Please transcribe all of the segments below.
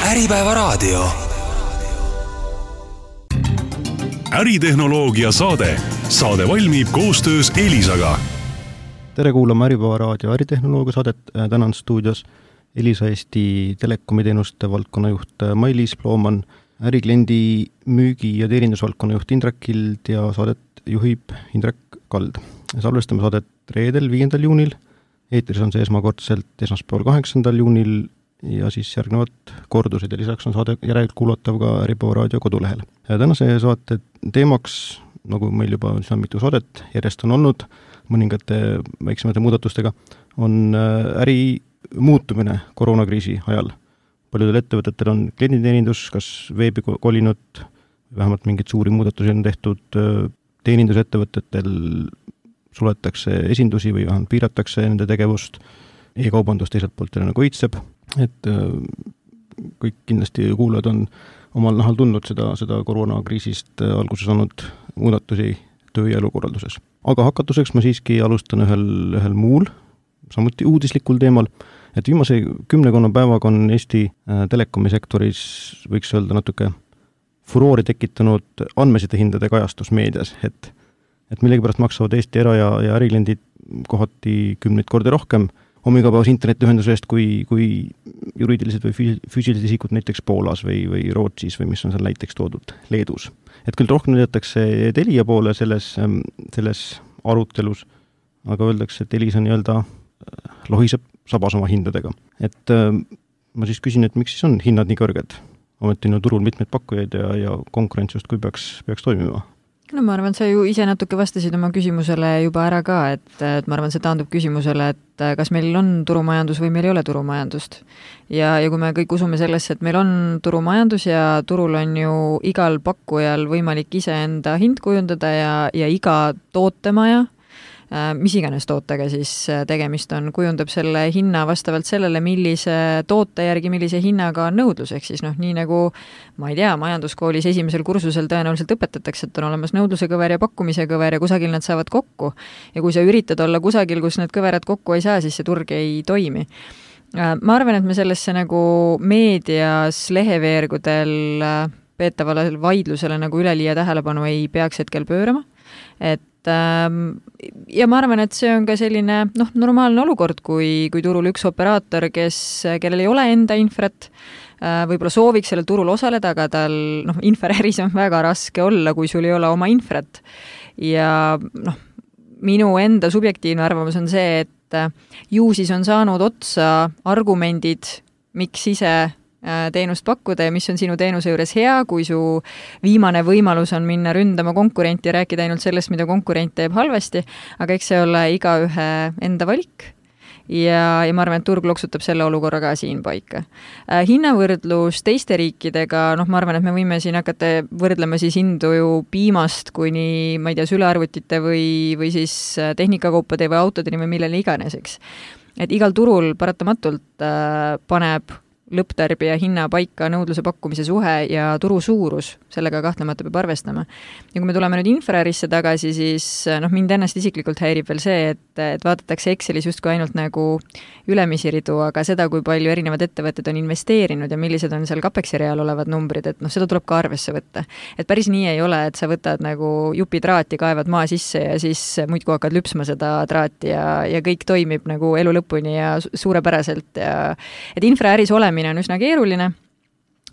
Äripäeva raadio. Äritehnoloogia saade. Saade valmib koostöös Elisaga. Tere kuulama Äripäeva raadio äritehnoloogia saadet. Tänan stuudios Elisa Eesti telekomiteenuste valdkonnajuht Mailis Plooman, ärikliendi müügi- ja teenindusvaldkonna juht Indrek Kild ja saadet juhib Indrek Kald. Salvestame saadet reedel 5. juunil. Eetris on see esmakordselt esmaspäeval 8. juunil ja siis järgnevad kordused ja lisaks on saade järelkuulatav ka Äripäeva raadio kodulehel. Tänase saate teemaks, nagu meil juba mitu saadet järjest on olnud, mõningate väiksemate muudatustega, on äri muutumine koroonakriisi ajal. Paljudel ettevõtetel on klienditeenindus, kas veebi kolinud, vähemalt mingeid suuri muudatusi on tehtud, teenindusettevõtetel suletakse esindusi või vähemalt piiratakse nende tegevust, e-kaubandus teiselt poolt nagu õitseb, et kõik kindlasti kuulajad on omal nahal tundnud seda koroonakriisist alguses saanud muudatusi töö- ja elukorralduses. Aga hakatuseks ma siiski alustan ühel muul, samuti uudislikul teemal, et viimase 10 päevaga on Eesti telekomisektoris, võiks öelda natuke furoori tekitanud andmesidehindade kajastus meedias, et millegipärast maksavad Eesti era- ja ärikliendid kohati 10 kordi rohkem hommikupäevas internetiühenduse eest kui juriidilised või füüsilised isikud näiteks Poolas või Rootsis või mis on seal näiteks toodud Leedus. Et küll rohkem näidatakse Telia poole selles arutelus, aga öeldakse, et Elisa nii-öelda lohiseb sabas oma hindadega. Et ma siis küsin, et miks siis on hinnad nii kõrged? Ometi on turul mitmeid pakkujaid ja konkurents just kui peaks toimima. No ma arvan, sa ju ise natuke vastasid oma küsimusele juba ära ka, et ma arvan, see taandub küsimusele, et kas meil on turumajandus või meil ei ole turumajandust. Ja kui me kõik usume sellesse, et meil on turumajandus ja turul on ju igal pakkujal võimalik iseenda hind kujundada ja iga tootemaja, mis iganes tootega siis tegemist on, kujundab selle hinna vastavalt sellele, millise toote järgi, millise hinnaga on nõudlus, ehk siis nii nagu, ma ei tea, majanduskoolis esimesel kursusel tõenäoliselt õpetatakse, et on olemas nõudluse kõver ja pakkumise kõver ja kusagil nad saavad kokku. Ja kui sa üritad olla kusagil, kus need kõverad kokku ei saa, siis see turg ei toimi. Ma arvan, et me sellesse nagu meedias leheveergudel peetavale vaidlusele nagu üleliia tähelepanu ei peaks hetkel pöörama. Ja ma arvan, et see on ka selline normaalne olukord, kui turul üks operaator, kellel ei ole enda infrat, võib-olla sooviks sellel turul osaleda, aga tal infraäris on väga raske olla, kui sul ei ole oma infrat. Ja minu enda subjektiivne arvamus on see, et ju siis on saanud otsa argumendid, miks ise teenust pakkuda ja mis on sinu teenuse juures hea, kui su viimane võimalus on minna ründama konkurenti ja rääkida ainult sellest, mida konkurent teeb halvasti, aga eks see ole igaühe enda valik ja ma arvan, et turg loksutab selle olukorra ka siin paika. Hinnavõrdlus teiste riikidega, ma arvan, et me võime siin hakata võrdlema siis hindu ju piimast kuni, ma ei tea, sülearvutite või siis tehnikakaupade või autodeni või millele iganeseks. Et igal turul paratamatult paneb lõpptarbija hinna paika nõudluse pakkumise suhe ja turu suurus, sellega kahtlemata peab arvestama. Ja kui me tuleme nüüd infraärisse tagasi, siis mind ennast isiklikult häirib veel see, et vaadatakse Excelis justkui ainult nagu ülemisi ridu, aga seda, kui palju erinevad ettevõtted on investeerinud ja millised on seal Capexi real olevad numbrid, et seda tuleb ka arvesse võtta. Et päris nii ei ole, et sa võtad nagu jupi traati, kaevad maa sisse ja siis muidku hakkad lüpsma seda traati ja kõik toimib nagu elu lõpuni ja suurepäraselt. Et infraäris olemine on üsna keeruline,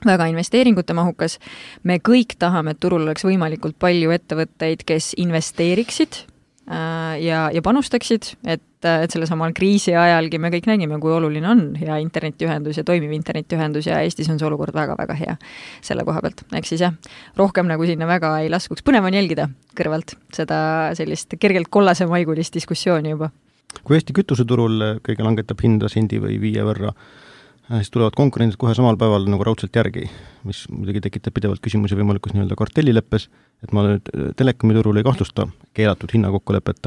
väga investeeringute mahukas. Me kõik tahame, et turul oleks võimalikult palju ettevõtteid, kes investeeriksid ja panustaksid, et selle samal kriisi ajalgi me kõik nägime, kui oluline on hea internetiühendus ja toimiv internetiühendus ja Eestis on see olukord väga-väga hea selle koha pealt. Eks siis rohkem nagu sinna väga ei laskuks. Põnev on jälgida kõrvalt seda sellist kergelt kollase maigulist diskussiooni juba. Kui Eesti kütuseturul kõige langetab hinda sendi või 5 võrra, siis tulevad konkurendid kohe samal päeval nagu raudselt järgi, mis muidugi tekitab pidevalt küsimusi võimalikus nii-öelda kartellileppes, et ma nüüd telekomiturul ei kahtlusta keelatud hinnakokkulepet,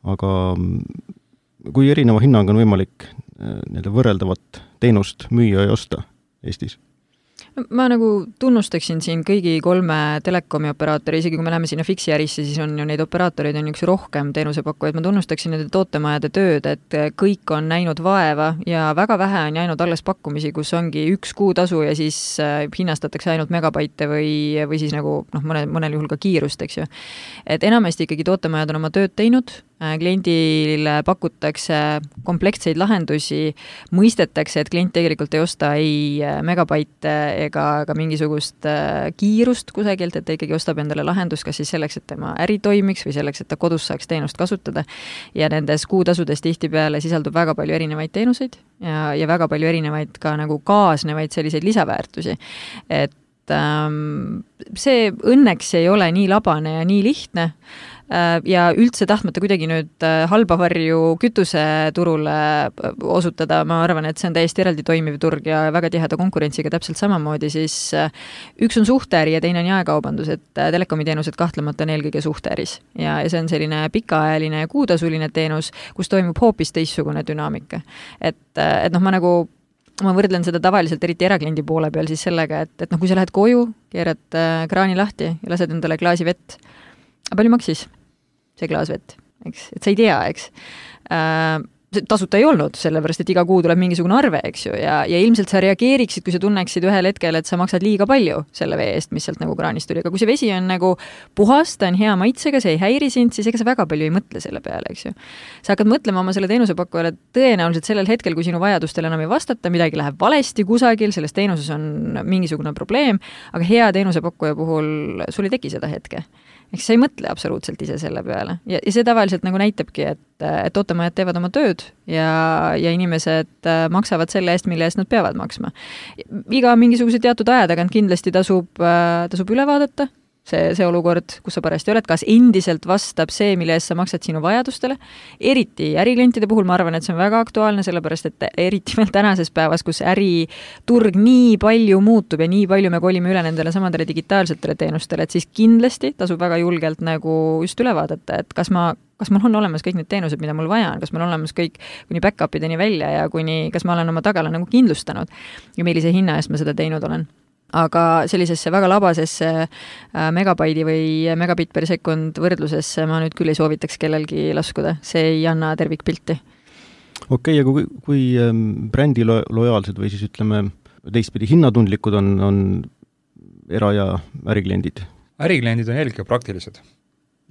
aga kui erineva hinnaga on võimalik võrreldavat teenust müüa ja osta Eestis? Ma nagu tunnustaksin siin kõigi 3 telekomi operaatori, isegi kui me läheme sinna fiksi ärisse, siis on ju neid operaatoreid on üks rohkem teenusepakkujaid. Ma tunnustaksin nende tootemajade tööd, et kõik on näinud vaeva ja väga vähe on jäänud alles pakkumisi, kus ongi 1 kuutasu ja siis hinnastatakse ainult megabaite või siis nagu mõnel juhul ka kiirust, eks ju. Et enamasti ikkagi tootemajad on oma tööd teinud, kliendile pakutakse komplektseid lahendusi, mõistetakse, et klient tegelikult ei osta ei megabaite ega mingisugust kiirust kusagilt, et ta ikkagi ostab endale lahendust, kas siis selleks, et tema äri toimiks või selleks, et ta kodus saaks teenust kasutada. Ja nendes kuutasudes tihtipeale sisaldub väga palju erinevaid teenuseid ja väga palju erinevaid ka nagu kaasnevaid selliseid lisaväärtusi. Et see õnneks ei ole nii labane ja nii lihtne ja üldse tahtmata kuidagi nüüd halba varju kütuseturule osutada, ma arvan, et see on täiesti eraldi toimiv turg ja väga tiheda konkurentsiga täpselt samamoodi, siis üks on suhteäri ja teine on jaekaubandus, et telekomiteenused kahtlemata on eelkõige suhteäris ja see on selline pikaajaline ja kuutasuline teenus, kus toimub hoopis teistsugune dünaamika. Et ma võrdlen seda tavaliselt eriti erakliendi poole peal siis sellega, et kui sa lähed koju, keerad kraani lahti ja lased endale klaasi vett. Aga palju maksis see klaas vett? Eks? Et sa ei tea, eks? Tasuta ei olnud, sellepärast, et iga kuu tuleb mingisugune arve, eks ju, ja ilmselt sa reageeriksid, kui sa tunneksid ühel hetkel, et sa maksad liiga palju selle vee eest, mis sealt nagu kraanist tuli. Aga kui see vesi on nagu puhas, ta on hea maitsega, see ei häiri sind, siis ega sa väga palju ei mõtle selle peale, eks ju. Sa hakkad mõtlema oma selle teenusepakkujale tõenäoliselt sellel hetkel, kui sinu vajadustele enam ei vastata, midagi läheb valesti kusagil, selles teenuses on mingisugune probleem, aga hea teenusepakkuja puhul sul ei teki seda hetke. Eks sa ei mõtle absoluutselt ise selle peale. Ja see tavaliselt nagu näitabki, et tootemajad teevad oma tööd ja inimesed maksavad selle eest, mille eest nad peavad maksma. Iga mingisuguse teatud aja tagant kindlasti tasub üle vaadata see olukord, kus sa parajasti oled, kas endiselt vastab see, mille eest sa maksad sinu vajadustele. Eriti äriklientide puhul ma arvan, et see on väga aktuaalne, sellepärast, et eriti veel tänases päevas, kus äriturg nii palju muutub ja nii palju me kolime üle nendele samadele digitaalsetele teenustele, et siis kindlasti tasub väga julgelt nagu just üle vaadata, et kas mul on olemas kõik need teenused, mida mul vaja on, kas mul on olemas kõik kuni back-upideni välja ja kas ma olen oma tagala nagu kindlustanud ja millise hinna eest ma seda teinud olen. Aga sellisesse väga labasesse megabaidi või megabit per sekund võrdlusesse ma nüüd küll ei soovitaks kellelgi laskuda. See ei anna tervikpilti. Okei, ja kui brändi lojaalsed või siis ütleme teistpidi hinnatundlikud on era- ja ärikliendid? Ärikliendid on eelkõige praktilised.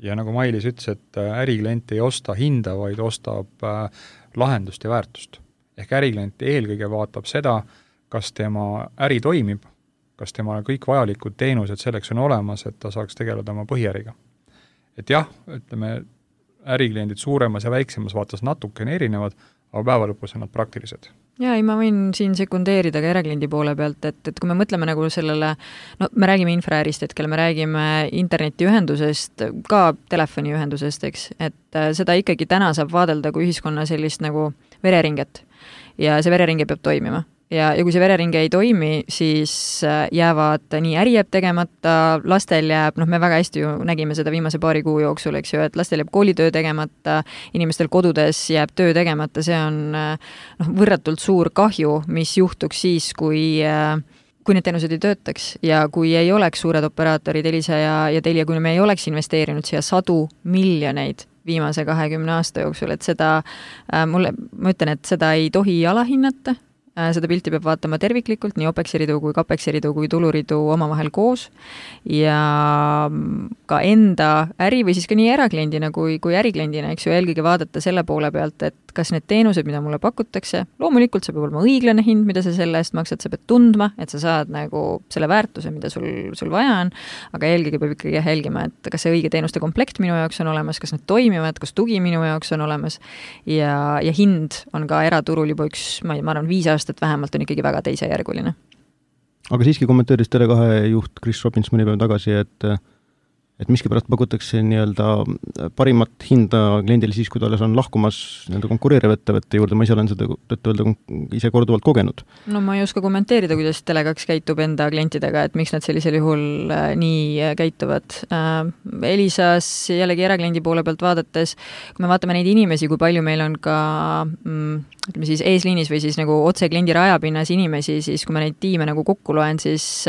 Ja nagu Mailis ütles, et äriklient ei osta hinda, vaid ostab lahendust ja väärtust. Ehk äriklient eelkõige vaatab seda, kas tema äri toimib, kas tema kõik vajalikud teenused selleks on olemas, et ta saaks tegeleda oma põhiäriga. Et jah, ütleme, ärikliendid suuremas ja väiksemas vaatas natukene erinevad, aga päeva lõpus on nad praktilised. Ja ma võin siin sekundeerida ka erakliendi poole pealt, et kui me mõtleme nagu sellele, me räägime infraärist hetkel, me räägime internetiühendusest, ka telefoniühendusest, eks, et seda ikkagi täna saab vaadelda kui ühiskonna sellist nagu vereringet ja see vereringe peab toimima. Ja kui see vereringe ei toimi, siis jäävad nii äri jääb tegemata, lastel jääb, me väga hästi ju nägime seda viimase paari kuu jooksul, eks ju, et lastel jääb koolitöö tegemata, inimestel kodudes jääb töö tegemata, see on võrratult suur kahju, mis juhtuks siis, kui need teenused ei töötaks ja kui ei oleks suured operaatorid Elisa ja Telia, kui me ei oleks investeerinud siia 100 miljoneid viimase 20 aasta jooksul, et seda, ma ütlen, et seda ei tohi alahinnata. Seda pilti peab vaatama terviklikult, nii OPEX-ridu kui CAPEX-ridu kui tuluridu omavahel koos ja ka enda äri või siis ka nii erakliendina kui ärikliendina, eks ju, eelkõige vaadata selle poole pealt, et kas need teenused, mida mulle pakutakse, loomulikult see peab olema õiglane hind, mida sa selle eest maksad, sa pead tundma, et sa saad nagu selle väärtuse, mida sul vaja on, aga eelkõige peab ikkagi jälgima, et kas see õige teenuste komplekt minu jaoks on olemas, kas need toimivad, kas tugi minu jaoks on olemas ja hind on ka eraturul juba ma arvan 5 aastat vähemalt on ikkagi väga teisejärguline. Aga siiski kommenteeris Tele2 juht Chris Robbins mõni päev tagasi, et miskipärast pakutakse nii-öelda parimat hinda kliendile siis, kui ta alles on lahkumas nii-öelda konkureeriva ettevõtte juurde, ma ise olen seda öelda ise korduvalt kogenud. No ma ei oska kommenteerida, kuidas Tele2 käitub enda klientidega, et miks nad sellisel juhul nii käituvad. Elisas jällegi erakliendi poole pealt vaadates, kui me vaatame neid inimesi, kui palju meil on ka ütleme siis eesliinis või siis nagu otse kliendi rajapinnas inimesi, siis kui ma neid tiime nagu kokku loen, siis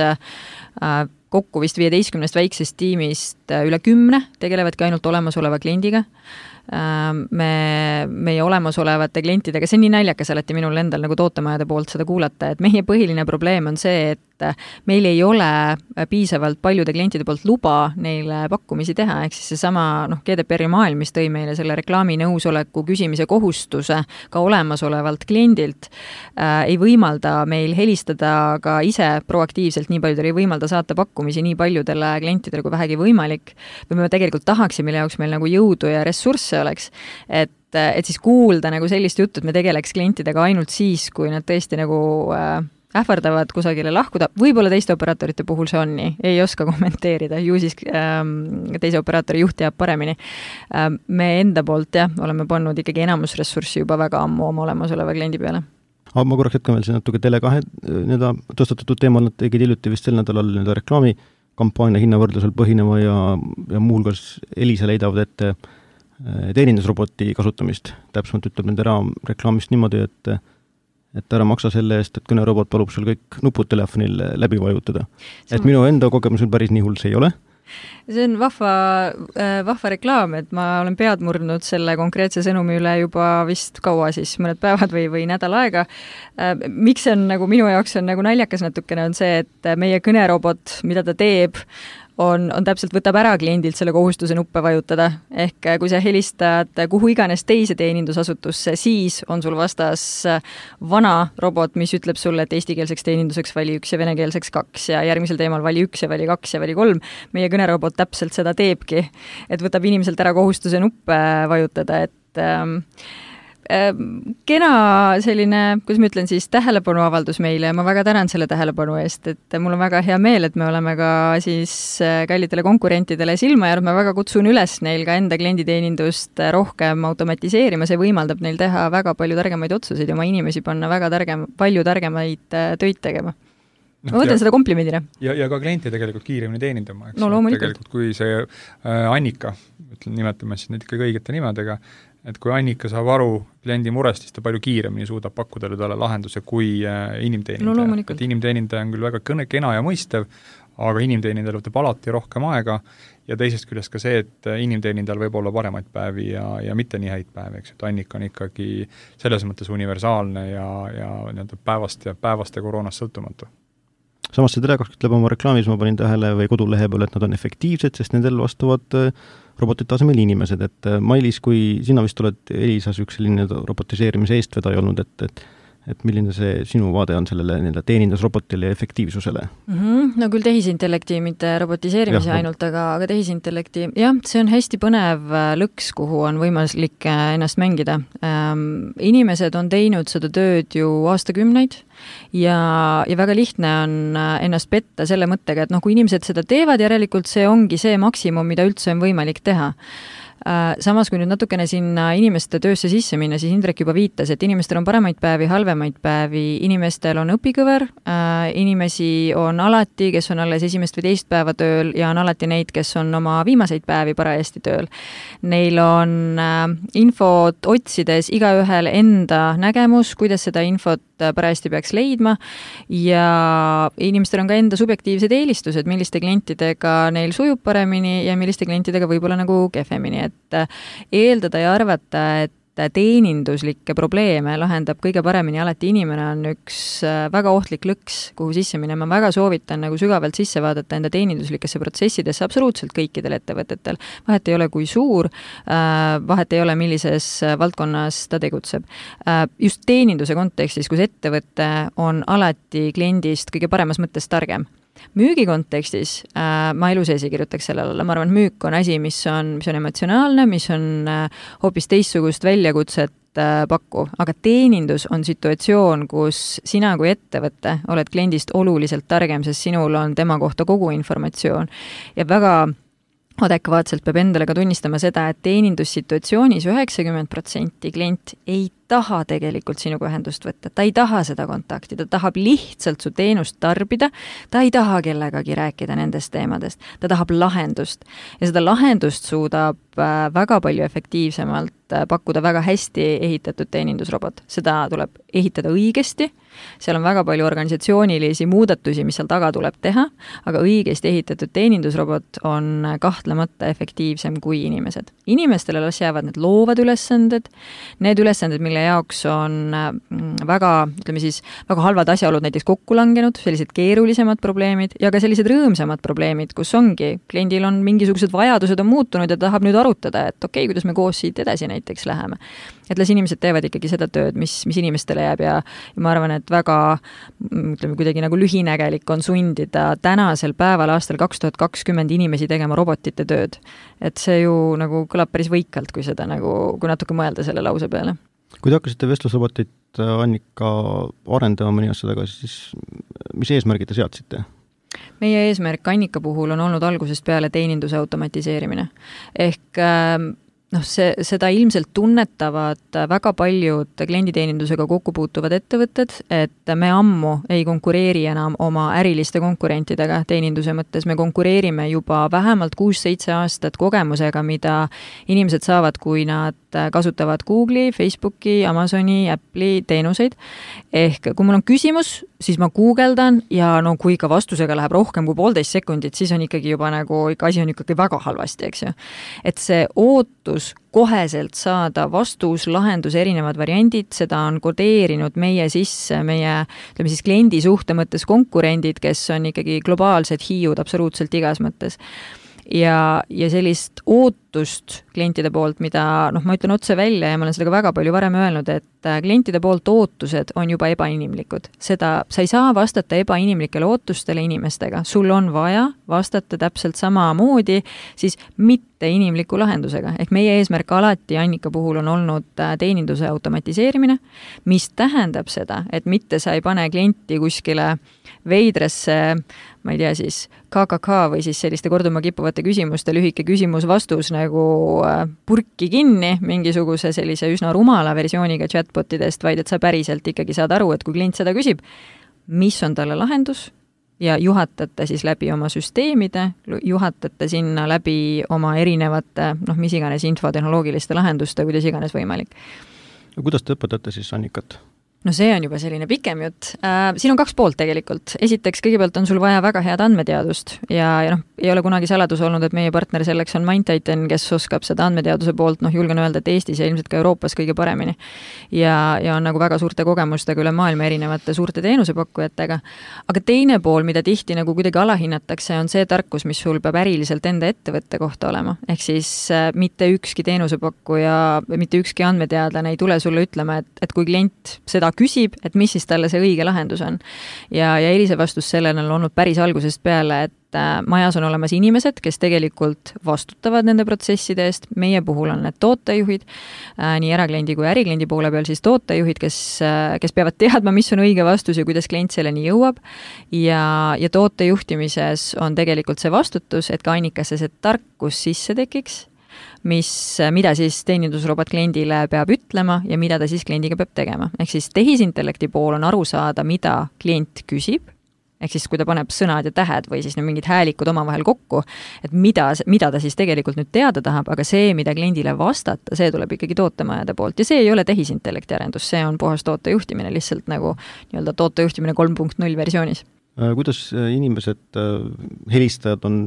kokku vist 15 väiksest tiimist üle 10 tegelevadki ainult olemasoleva kliendiga. Meie olemasolevate klientidega, see on nii naljakas alati minul endal nagu tootemajade poolt seda kuulata, et meie põhiline probleem on see, et meil ei ole piisavalt paljude klientide poolt luba neile pakkumisi teha, ehk siis seesama GDPR-i maailm, mis tõi meile selle reklaami nõusoleku küsimise kohustuse ka olemasolevalt kliendilt, ei võimalda meil helistada ka ise proaktiivselt nii paljudele, ei võimalda saata pakkumisi nii paljudele klientidele kui vähegi võimalik, või me tegelikult tahaksime, mille jaoks meil nagu jõudu ja ressursse oleks, et siis kuulda nagu sellist juttu, et me tegeleks klientidega ainult siis, kui nad tõesti nagu ähvardavad kusagile lahkuda, võib-olla teiste operaatorite puhul see on nii, ei oska kommenteerida, ju siis teise operaatori juht teab paremini. Me enda poolt oleme pannud ikkagi enamusressurssi juba väga ammu oma olemasoleva kliendi peale. Ma korraks hetkan veel see natuke Tele2 tõstatatud teemal, nad tegid hiljuti vist sel nädalal reklaamikampaania hinnavõrdlusel põhinema ja muuhulgas Elisa leidavad ette teenindusroboti kasutamist. Täpsemalt ütleb nende reklaamist niimoodi, et ära maksa selle eest, et kõnerobot palub sul kõik nupud telefonil läbi vajutada. Et minu enda kogemusel päris nii hull see ei ole. See on vahva reklaam, et ma olen pead murdnud selle konkreetse sõnumi üle juba vist kaua siis, mõned päevad või nädal aega. Miks see on nagu minu jaoks on nagu naljakas natukene on see, et meie kõnerobot, mida ta teeb, on täpselt, võtab ära kliendilt selle kohustuse nuppe vajutada. Ehk kui sa helistad kuhu iganes teise teenindusasutusse, siis on sul vastas vana robot, mis ütleb sulle, et eestikeelseks teeninduseks vali 1 ja venekeelseks 2 ja järgmisel teemal vali 1 ja vali 2 ja vali 3. Meie kõnerobot täpselt seda teebki, et võtab inimeselt ära kohustuse nuppe vajutada, et kena selline, kuidas ma ütlen siis, tähelepanuavaldus meile ja ma väga tänan selle tähelepanu eest, et mul on väga hea meel, et me oleme ka siis kallitele konkurentidele silma jäänud, ma väga kutsun üles neil ka enda klienditeenindust rohkem automatiseerima, see võimaldab neil teha väga palju targemaid otsuseid ja oma inimesi panna väga palju targemaid töid tegema. Ma võtan seda komplimendina. Ja ka klienti tegelikult kiiremini teenindama. No loomulikult. Tegelikult kui see Annika, nimetame siis neid ikka õigete nimedega, et kui Annika saab aru kliendi murest, siis ta palju kiiremini suudab pakkuda talle lahenduse kui inimteenindaja. No, et inimteenindaja on küll väga kena ja mõistev, aga inimteenindajal võtab alati rohkem aega ja teisest küljest ka see, et inimteenindajal võib olla paremaid päevi ja mitte nii häid päevi, eks, et Annika on ikkagi selles mõttes universaalne ja päevast ja koroonast sõltumatu. Samas see Tele2 ütleb oma reklaamis, ma panin tähele või kodulehe peal, et nad on efektiivsed, sest nendel vastavad robotite asemel inimesed, et Mailis, kui sina vist oled Elisas üks selline robotiseerimise eestvedaja olnud, et milline see sinu vaade on sellele teenindusrobotile ja efektiivsusele? No küll tehisintellekti, mitte robotiseerimise ainult, aga tehisintellekti, see on hästi põnev lõks, kuhu on võimalik ennast mängida. Inimesed on teinud seda tööd ju aastakümneid ja väga lihtne on ennast petta selle mõttega, et kui inimesed seda teevad, järelikult see ongi see maksimum, mida üldse on võimalik teha. Samas, kui nüüd natukene sinna inimeste töösse sisse minna, siis Indrek juba viitas, et inimestel on paremaid päevi, halvemaid päevi, inimestel on õpikõver, inimesi on alati, kes on alles esimest või teist päeva tööl ja on alati neid, kes on oma viimaseid päevi parajasti tööl. Neil on infot otsides igaühel enda nägemus, kuidas seda infot parajasti peaks leidma ja inimestel on ka enda subjektiivsed eelistused, milliste klientidega neil sujub paremini ja milliste klientidega võib-olla nagu kehvemini, et eeldada ja arvata, et teeninduslikke probleeme lahendab kõige paremini alati inimene on üks väga ohtlik lõks, kuhu sisse minema. Ma väga soovitan nagu sügavalt sisse vaadata enda teeninduslikesse protsessidesse absoluutselt kõikidel ettevõtetel. Vahet ei ole kui suur, vahet ei ole millises valdkonnas ta tegutseb. Just teeninduse kontekstis, kus ettevõte on alati kliendist kõige paremas mõttes targem. Müügi kontekstis ma elu sees ei kirjutaks sellele alla. Ma arvan, et müük on asi, mis on emotsionaalne, mis on hoopis teistsugust väljakutset pakku, aga teenindus on situatsioon, kus sina kui ettevõte oled kliendist oluliselt targem, sest sinul on tema kohta kogu informatsioon ja väga adekvaatselt peab endale ka tunnistama seda, et teenindussituatsioonis 90% klient ei taha tegelikult sinuga ühendust võtta, ta ei taha seda kontakti, ta tahab lihtsalt su teenust tarbida, ta ei taha kellegagi rääkida nendest teemadest, ta tahab lahendust ja seda lahendust suudab väga palju efektiivsemalt pakkuda väga hästi ehitatud teenindusrobot. Seda tuleb ehitada õigesti, seal on väga palju organisatsioonilisi muudatusi, mis seal taga tuleb teha, aga õigesti ehitatud teenindusrobot on kahtlemata efektiivsem kui inimesed. Inimestele las jäävad need loovad ülesanded, need ülesanded, mille jaoks on väga, ütleme siis, väga halvad asjaolud näiteks kokku langenud, sellised keerulisemad probleemid ja ka sellised rõõmsamad probleemid, kus ongi, kliendil on mingisugused vajadused on muutunud ja tahab nüüd arutada, et okei, kuidas me koos siit edasi näiteks läheme. Et las inimesed teevad ikkagi seda tööd, mis inimestele jääb ja ma arvan, et väga, ütleme, kuidagi nagu lühinägelik on sundida tänasel päeval aastal 2020 inimesi tegema robotite tööd. Et see ju nagu kõlab päris võikalt, kui seda nagu, kui natuke mõelda selle lause peale. Kui te hakkasite vestlusrobotit, Annika, arendama mõni aasta tagasi, siis mis eesmärgid te seadsite? Meie eesmärk Annika puhul on olnud algusest peale teeninduse automatiseerimine. Ehk seda ilmselt tunnetavad väga paljud klienditeenindusega kokku puutuvad ettevõtted, et me ammu ei konkureeri enam oma äriliste konkurentidega teeninduse mõttes, me konkureerime juba vähemalt 6-7 aastat kogemusega, mida inimesed saavad, kui nad kasutavad Google'i, Facebooki, Amazoni, Apple'i teenuseid. Ehk kui mul on küsimus, siis ma guugeldan ja no kui ka vastusega läheb rohkem kui 1,5 sekundit, siis on ikkagi juba nagu, asi on ikkagi väga halvasti, eks ju. Et see ootus koheselt saada vastus, lahendus, erinevad variandid, seda on kodeerinud meie sisse, meie, ütleme siis kliendi suhte mõttes konkurendid, kes on ikkagi globaalsed hiiud absoluutselt igas mõttes. Ja sellist ootust klientide poolt, mida ma ütlen otse välja ja ma olen seda ka väga palju varem öelnud, et klientide poolt ootused on juba ebainimlikud. Sa ei saa vastata ebainimlikele ootustele inimestega. Sul on vaja vastata täpselt sama moodi, siis mitte inimliku lahendusega. Ehk meie eesmärk alati Annika puhul on olnud teeninduse automatiseerimine, mis tähendab seda, et mitte sa ei pane klienti kuskile veidrasse, ma ei tea siis, KKK või siis selliste korduma kippuvate küsimuste lühike küsimus-vastus nagu purki kinni mingisuguse sellise üsna rumala versiooniga chatbotidest, vaid et sa päriselt ikkagi saad aru, et kui klient seda küsib, mis on talle lahendus ja juhatate siis läbi oma süsteemide, juhatate sinna läbi oma erinevate, mis iganes infotehnoloogiliste lahenduste, kuidas iganes võimalik. Kuidas te õpetate siis Annikat? No see on juba selline pikem jutt. Siin on 2 poolt tegelikult. Esiteks, kõigepealt on sul vaja väga head andmeteadust ja ei ole kunagi saladus olnud, et meie partner selleks on MindTitan, kes oskab seda andmeteaduse poolt, julgen öelda, et Eestis ja ilmselt ka Euroopas kõige paremini. Ja on nagu väga suurte kogemustega üle maailma erinevate suurte teenusepakkujatega. Aga teine pool, mida tihti nagu kuidagi alahinnatakse, on see tarkus, mis sul peab äriliselt enda ettevõtte kohta olema. Ehk siis mitte ükski teenusepakkuja, mitte ükski andmeteadlane ei tule sulle ütlema, et kui klient seda küsib, et mis siis talle see õige lahendus on. Ja Elise vastus sellele on olnud päris algusest peale, et majas on olemas inimesed, kes tegelikult vastutavad nende protsesside eest. Meie puhul on need tootejuhid, nii erakliendi kui ärikliendi poole peal siis tootejuhid, kes peavad teadma, mis on õige vastus ja kuidas klient selleni jõuab. Ja tootejuhtimises on tegelikult see vastutus, et ka Annikasse see tarkus sisse tekiks, mida siis teenindusrobot kliendile peab ütlema ja mida ta siis kliendiga peab tegema. Ehk siis tehisintellekti pool on aru saada, mida klient küsib, ehk siis kui ta paneb sõnad ja tähed või siis mingid häälikud omavahel kokku, et mida ta siis tegelikult nüüd teada tahab, aga see, mida kliendile vastata, see tuleb ikkagi tootemajade poolt ja see ei ole tehisintellekti arendus, see on puhas tootejuhtimine, lihtsalt nagu nii-öelda tootejuhtimine 3.0 versioonis. Kuidas inimesed, helistajad on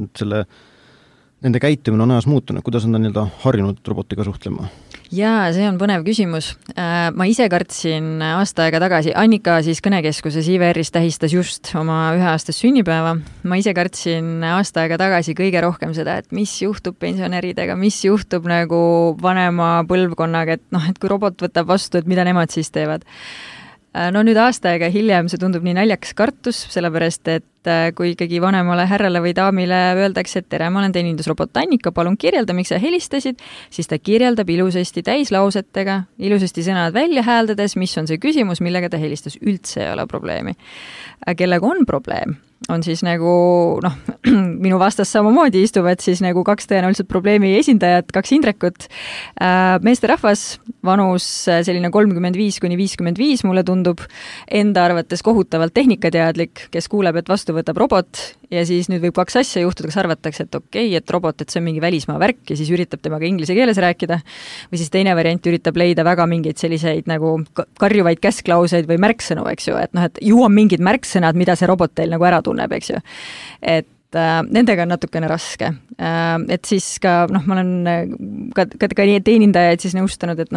nende käitumine on ajas muutunud, kuidas on ta nii-öelda harjunud robotiga suhtlema? Jaa, see on põnev küsimus. Ma ise kartsin aasta aega tagasi, Annika siis kõnekeskuses IVR-is tähistas just oma 1-aastast sünnipäeva. Ma ise kartsin aasta aega tagasi kõige rohkem seda, et mis juhtub pensionäridega, mis juhtub nagu vanema põlvkonnaga, et kui robot võtab vastu, et mida nemad siis teevad. No nüüd aasta aega hiljem see tundub nii naljakas kartus, sellepärast et kui ikkagi vanemale härrale või daamile öeldakse, et tere, ma olen teenindusrobot Annika, palun kirjelda, miks sa helistasid, siis ta kirjeldab ilusasti täislausetega, ilusasti sõnad välja hääldades, mis on see küsimus, millega ta helistas, üldse ei ole probleemi. Kellega on probleem, on siis nagu, minu vastas samamoodi istuvad siis nagu kaks tõenäoliselt probleemi esindajat, kaks Indrekut, meesterahvas, vanus selline 35–55, mulle tundub, enda arvates kohutavalt tehnikateadlik, kes kuuleb, et vastu võtab robot ja siis nüüd võib kaks asja juhtuda, kas arvatakse, et okei, et robot, et see on mingi välismaa värk ja siis üritab temaga inglise keeles rääkida või siis teine variant üritab leida väga mingeid selliseid nagu karjuvaid käsklauseid või märksõnu, eks ju, et ju on mingid märksõnad, mida see robot teil nagu ära tunneb, eks ju. Et nendega on natukene raske. Et siis ka, ma olen ka teenindajaid siis nõustanud, et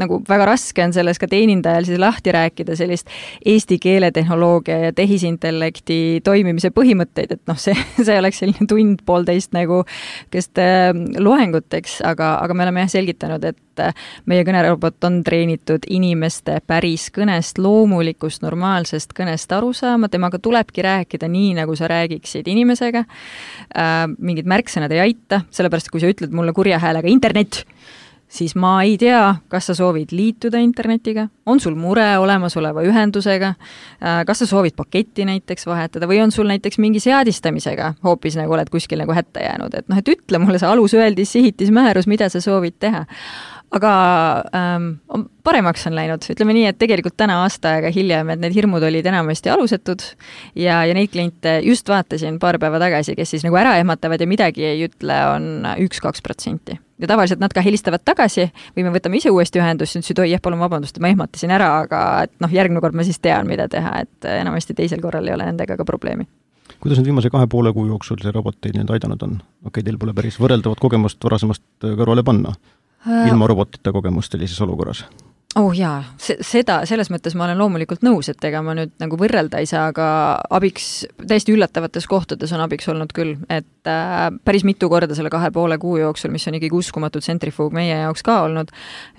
nagu väga raske on selles ka teenindajal siis lahti rääkida sellist eesti keeletehnoloogia ja tehisintellekti toimimise põhimõtteid, et see oleks selline tund-poolteist nagu kest loenguteks, aga me oleme selgitanud, et meie kõnerobot on treenitud inimeste päris kõnest, loomulikust, normaalsest kõnest aru saama, temaga tulebki rääkida nii, nagu sa räägiksid inimesega. Mingid märksõnad ei aita, sellepärast kui sa ütled mulle kurja häälega internet, siis ma ei tea, kas sa soovid liituda internetiga, on sul mure olemasoleva ühendusega, kas sa soovid paketti näiteks vahetada või on sul näiteks mingi seadistamisega, hoopis nagu oled kuskil nagu hätta jäänud, et ütle mulle see alusöeldis, sihitismäärus, mida sa soovid teha. Aga paremaks on läinud, ütleme nii, et tegelikult täna aasta aega hiljem, et need hirmud olid enamasti alusetud ja neid kliente just vaatasin paar päeva tagasi, kes siis nagu ära ehmatavad ja midagi ei ütle, on 1-2%. Ja tavaliselt nad ka helistavad tagasi või me võtame ise uuesti ühendust, ütlesid, oi, palun vabandust, ma ehmatasin ära, aga et järgmine kord ma siis tean, mida teha, et enamasti teisel korral ei ole nendega ka probleemi. Kuidas nüüd viimase 2,5 kuu jooksul see robot teid nüüd aidanud on? Okei, teil pole päris võrreldavat kogemust varasemast kõrvale panna, ilma robotita kogemust sellises olukorras? Oh jaa, selles mõttes ma olen loomulikult nõus, et ega ma nüüd nagu võrrelda ei saa, aga abiks, täiesti üllatavates kohtades on abiks olnud küll, et päris mitu korda selle 2,5 kuu jooksul, mis on ikkagi uskumatud tsentrifuug meie jaoks ka olnud,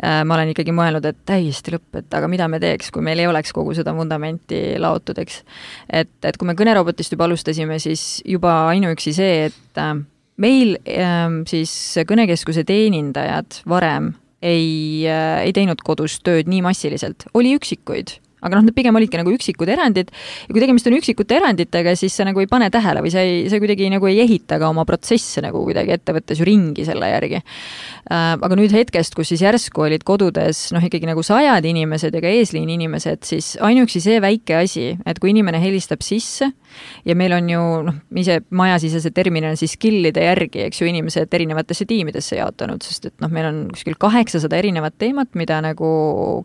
ma olen ikkagi mõelnud, et täiesti lõpp, et aga mida me teeks, kui meil ei oleks kogu seda vundamenti laotud, eks. Et kui me kõnerobotist juba alustasime, siis juba ainuüksi see, et meil siis kõnekeskuse teenindajad varem ei teinud kodus tööd nii massiliselt. Oli üksikuid, aga need pigem olidki nagu üksikud erandid ja kui tegemist on üksikute eranditega, siis sa nagu ei pane tähele või sa kuidagi nagu ei ehita ka oma protsesse nagu kuidagi ettevõttes ju ringi selle järgi. Aga nüüd hetkest, kus siis järsku olid kodudes ikkagi nagu 100 inimesed ja ka eesliin inimesed, siis ainuüksi see väike asi, et kui inimene helistab sisse ja meil on ju ise majasisese terminal siis skillide järgi, eks ju, inimesed erinevatesse tiimidesse jaotanud, sest et meil on kuskil 800 erinevat teemat, mida nagu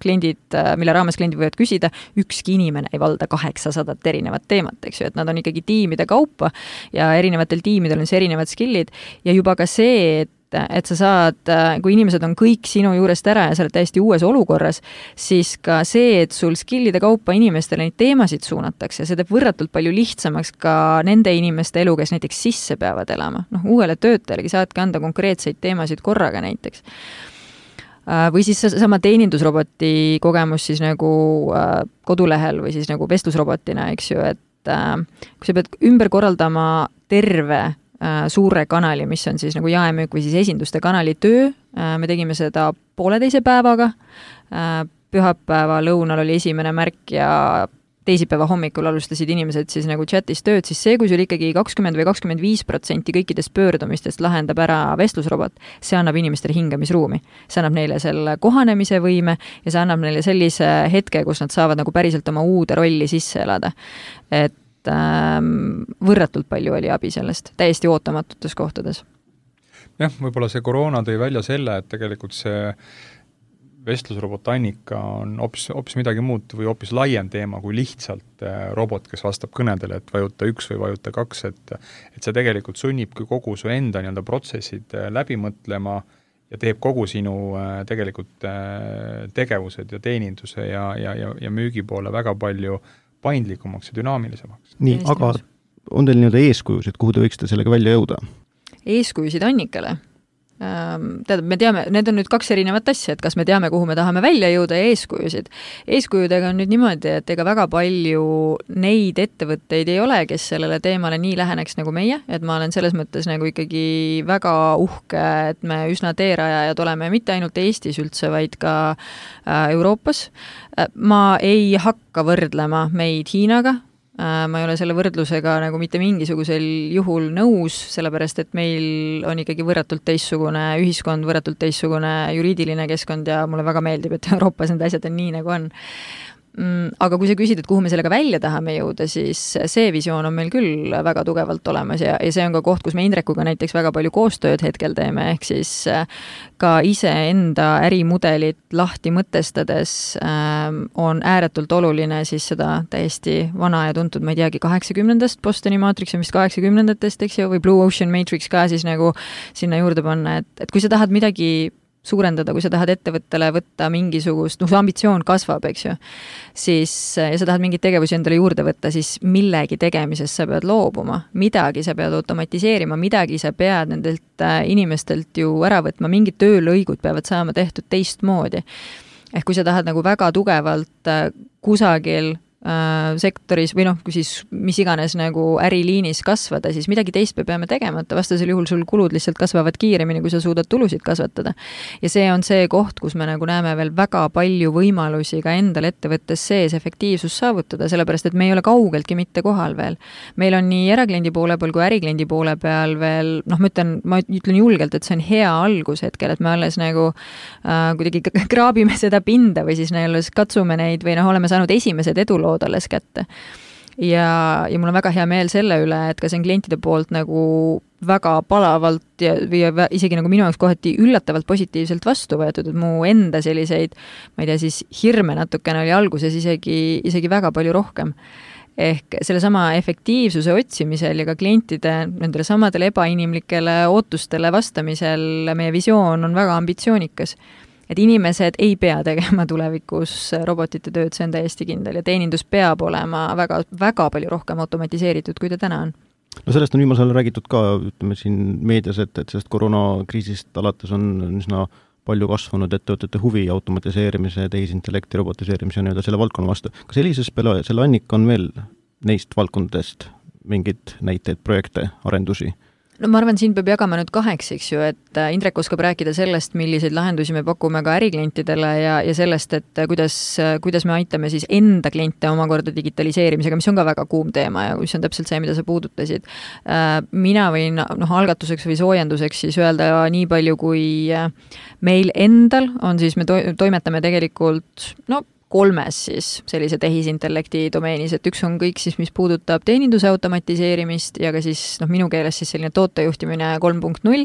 kliendid, mille raames kliendid võivad küsida, ükski inimene ei valda 800 erinevat teemat, eks ju, et nad on ikkagi tiimide kaupa ja erinevatel tiimidel on see erinevad skillid ja juba ka see, et sa saad, kui inimesed on kõik sinu juurest ära ja sa oled täiesti uues olukorras, siis ka see, et sul skillide kaupa inimestele neid teemasid suunatakse, see teeb võrratult palju lihtsamaks ka nende inimeste elu, kes näiteks sisse peavad elama. Uuele töötajalegi saadki anda konkreetseid teemasid korraga näiteks. Või siis sama teenindusroboti kogemus siis nagu kodulehel või siis nagu vestlusrobotina, eks ju, et kui sa pead ümber korraldama terve suure kanali, mis on siis nagu jaemüük või siis esinduste kanali töö. Me tegime seda 1,5 päevaga. Pühapäeva lõunal oli esimene märk ja teisipäeva hommikul alustasid inimesed siis nagu chatis tööd, siis see, kui sul ikkagi 20 või 25% kõikidest pöördumistest lahendab ära vestlusrobot, see annab inimestele hingamisruumi. See annab neile selle kohanemise võime ja see annab neile sellise hetke, kus nad saavad nagu päriselt oma uude rolli sisse elada. Et võrratult palju oli abi sellest, täiesti ootamatutes kohtades. Jah, võib-olla see koroona tõi välja selle, et tegelikult see vestlusrobot Annika on hoopis midagi muud või hoopis laiem teema kui lihtsalt robot, kes vastab kõnedele, et vajuta 1 või vajuta 2, et see tegelikult sunnibki kogu su enda protsessid läbi mõtlema ja teeb kogu sinu tegelikult tegevused ja teeninduse ja müügi poole väga palju paindlikumaks ja dünaamilisemaks. Nii, aga on teil eeskujusid, kuhu te võiksite sellega välja jõuda? Eeskujusid Annikale? Tähendab, me teame, need on nüüd 2 erinevat asja, et kas me teame, kuhu me tahame välja jõuda ja eeskujusid. Eeskujudega on nüüd niimoodi, et ega väga palju neid ettevõtteid ei ole, kes sellele teemale nii läheneks nagu meie, et ma olen selles mõttes nagu ikkagi väga uhke, et me üsna teerajajad oleme mitte ainult Eestis üldse, vaid ka Euroopas. Ma ei hakka võrdlema meid Hiinaga, ma ei ole selle võrdlusega nagu mitte mingisugusel juhul nõus, sellepärast et meil on ikkagi võrratult teistsugune ühiskond, võrratult teistsugune juriidiline keskkond ja mulle väga meeldib, et Euroopas need asjad on nii, nagu on. Aga kui sa küsid, et kuhu me sellega välja tahame jõuda, siis see visioon on meil küll väga tugevalt olemas ja see on ka koht, kus me Indrekuga näiteks väga palju koostööd hetkel teeme, ehk siis ka ise enda ärimudelit lahti mõtestades on ääretult oluline siis seda täiesti vana ja tuntud, ma ei teagi, 80-ndast Bostoni Matrix on vist 80-ndatest, eks ju, või Blue Ocean Matrix ka siis nagu sinna juurde panna, et kui sa tahad midagi suurendada, kui sa tahad ettevõttele võtta mingisugust, su ambitsioon kasvab, eks ju, siis, ja sa tahad mingeid tegevusi endale juurde võtta, siis millegi tegemisest sa pead loobuma, midagi sa pead automatiseerima, midagi sa pead nendelt inimestelt ju ära võtma, mingid töölõigud peavad saama tehtud teistmoodi. Ehk kui sa tahad nagu väga tugevalt kusagil sektoris või kui siis mis iganes nagu äriliinis kasvada, siis midagi teist me peame tegemata, vastasel juhul sul kulud lihtsalt kasvavad kiiremini, kui sa suudad tulusid kasvatada. Ja see on see koht, kus me nagu näeme veel väga palju võimalusi ka endal ettevõttes sees efektiivsus saavutada, sellepärast et me ei ole kaugeltki mitte kohal veel. Meil on nii erakliendi poole peal kui ärikliendi poole peal veel, ma ütlen julgelt, et see on hea algus hetkel, et me alles nagu kuidagi kraabime seda pinda või siis alles katsume neid või oleme saanud esimesed edulood alles kätte. Ja mul on väga hea meel selle üle, et ka see on klientide poolt nagu väga palavalt ja isegi nagu minu jaoks kohati üllatavalt positiivselt vastu võetud, et mu enda selliseid, ma ei tea, siis hirme natukene oli alguses isegi väga palju rohkem. Ehk selle sama efektiivsuse otsimisel ja ka klientide nendele samadele ebainimlikele ootustele vastamisel meie visioon on väga ambitsioonikas. Et inimesed ei pea tegema tulevikus robotite tööd, see on täiesti kindel ja teenindus peab olema väga, väga palju rohkem automatiseeritud, kui ta täna on. No sellest on viimasel räägitud ka, ütleme siin meedias, et sellest koroonakriisist alates on üsna palju kasvanud ettevõtete huvi automatiseerimise, tehisintellekti, robotiseerimise ja selle valdkonna vastu. Kas Elises selle Annika on veel neist valdkondadest mingid näiteid, projekte, arendusi? No ma arvan, siin peab jagama nüüd 2, eks ju, et Indrek oskab rääkida sellest, milliseid lahendusi me pakume ka äriklientidele ja sellest, et kuidas me aitame siis enda kliente omakorda digitaliseerimisega, mis on ka väga kuum teema ja mis on täpselt see, mida sa puudutasid. Mina võin algatuseks või soojenduseks siis öelda nii palju, kui meil endal on siis, me toimetame tegelikult 3 siis sellise tehisintellekti domeenis, et üks on kõik siis, mis puudutab teeninduse automatiseerimist ja ka siis minu keeles siis selline tootejuhtimine 3.0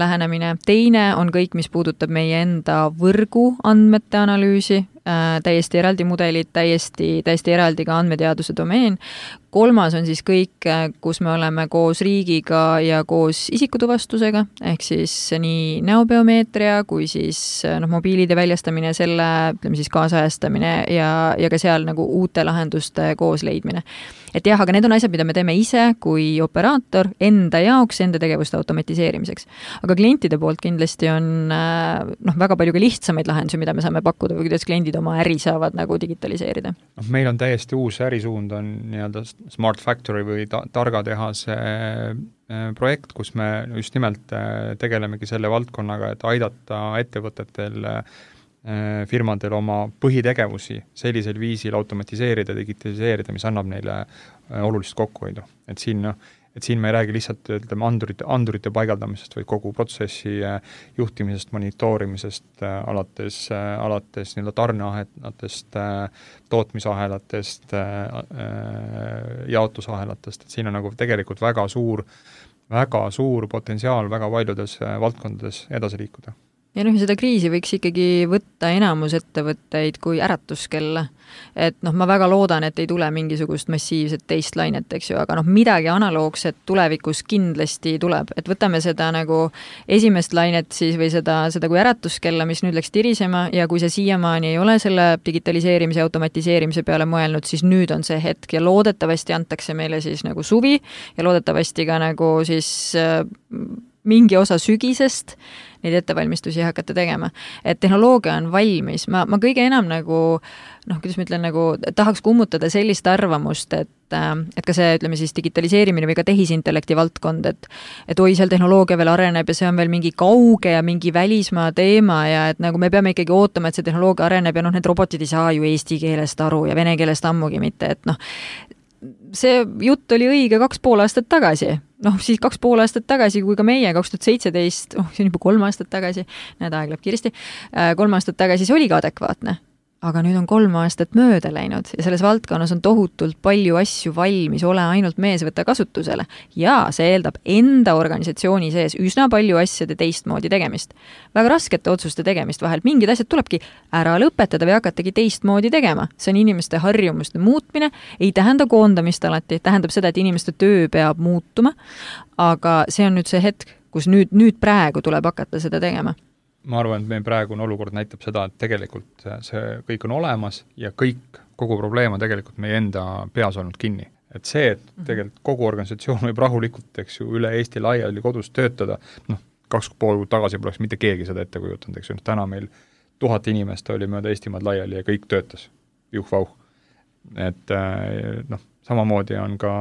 lähenemine. Teine on kõik, mis puudutab meie enda võrgu andmete analüüsi, täiesti eraldi mudelid, täiesti eraldi ka andmeteaduse domeen. 3 on siis kõik, kus me oleme koos riigiga ja koos isikutuvastusega, ehk siis nii näobiomeetria kui siis mobiilide väljastamine, selle ütleme siis kaasajastamine ja ka seal nagu uute lahenduste koos leidmine. Et jah, aga need on asjad, mida me teeme ise kui operaator enda jaoks, enda tegevuste automatiseerimiseks. Aga klientide poolt kindlasti on väga palju ka lihtsamaid lahendusi, mida me saame pakkuda või kuidas kliendid oma äri saavad nagu digitaliseerida. Meil on täiesti uus ärisuund, on nii-öelda Smart Factory või targa tehase projekt, kus me just nimelt tegelemegi selle valdkonnaga, et aidata ettevõtetel firmadel oma põhitegevusi sellisel viisil automatiseerida, digitaliseerida, mis annab neile olulist kokkuhoidu. Et siin me ei räägi lihtsalt andurite paigaldamisest, vaid kogu protsessi juhtimisest, monitoorimisest, alates nii-öelda tarneahelatest, tootmisahelatest, jaotusahelatest, et siin on nagu tegelikult väga suur potentsiaal väga paljudes valdkondades edasi liikuda. Ja seda kriisi võiks ikkagi võtta enamus ettevõtteid kui äratuskella. Et ma väga loodan, et ei tule mingisugust massiivset teist lainet, eks ju, aga midagi analoogset tulevikus kindlasti tuleb. Et võtame seda nagu esimest lainet siis või seda kui äratuskella, mis nüüd läks tirisema ja kui see siiamaani ei ole selle digitaliseerimise ja automatiseerimise peale mõelnud, siis nüüd on see hetk ja loodetavasti antakse meile siis nagu suvi ja loodetavasti ka nagu siis mingi osa sügisest neid ettevalmistusi hakata tegema. Et tehnoloogia on valmis. Ma kõige enam nagu, kuidas ma ütlen, nagu tahaks kummutada sellist arvamust, et ka see, ütleme siis digitaliseerimine või ka tehisintellekti valdkond, et oi, seal tehnoloogia veel areneb ja see on veel mingi kauge ja mingi välismaa teema ja et nagu me peame ikkagi ootama, et see tehnoloogia areneb ja need robotid ei saa ju eesti keelest aru ja vene keelest ammugi mitte, et see jutt oli õige 2,5 aastat tagasi. Siis 2,5 aastat tagasi, kui ka meie 2017, see on juba 3 aastat tagasi, näed, aeg läheb kiiresti, 3 aastat tagasi see oli ka adekvaatne. Aga nüüd on 3 aastat mööda läinud ja selles valdkonnas on tohutult palju asju valmis, ole ainult mees võtta kasutusele. Ja see eeldab enda organisatsiooni sees üsna palju asjade teistmoodi tegemist. Väga raskete otsuste tegemist vahel. Mingid asjad tulebki ära lõpetada või hakatagi teistmoodi tegema. See on inimeste harjumuste muutmine, ei tähenda koondamist alati, tähendab seda, et inimeste töö peab muutuma, aga see on nüüd see hetk, kus nüüd praegu tuleb hakata seda tegema. Ma arvan, et meie praegune olukord näitab seda, et tegelikult see kõik on olemas ja kogu probleem on tegelikult meie enda peas olnud kinni. Et see, et tegelikult kogu organisatsioon võib rahulikult, eks ju, üle Eesti laiali kodus töötada, 2,5 kuud tagasi poleks mitte keegi seda ette kujutanud, eks ju, täna meil 1000 inimest oli mööda Eestimaad laiali ja kõik töötas. Juh-vauh. Et samamoodi on ka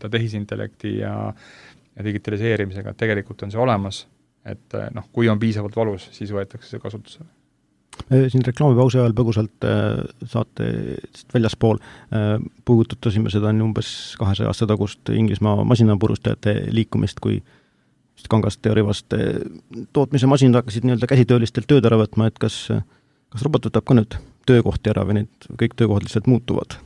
tehisintellekti ja digitaliseerimisega, et tegelikult on see olemas. Et kui on piisavalt valus, siis võetakse see kasutusele. Siin reklaamipausi ajal põgusalt saate väljaspool puudutasime seda umbes 200 aasta tagust Inglismaa masinapurustajate liikumist, kui Kangast ja Rivast tootmise masinad hakkasid nii-öelda käsitöölistelt tööd ära võtma, et kas robot võtab ka nüüd töökohti ära või need kõik töökohad lihtsalt muutuvad?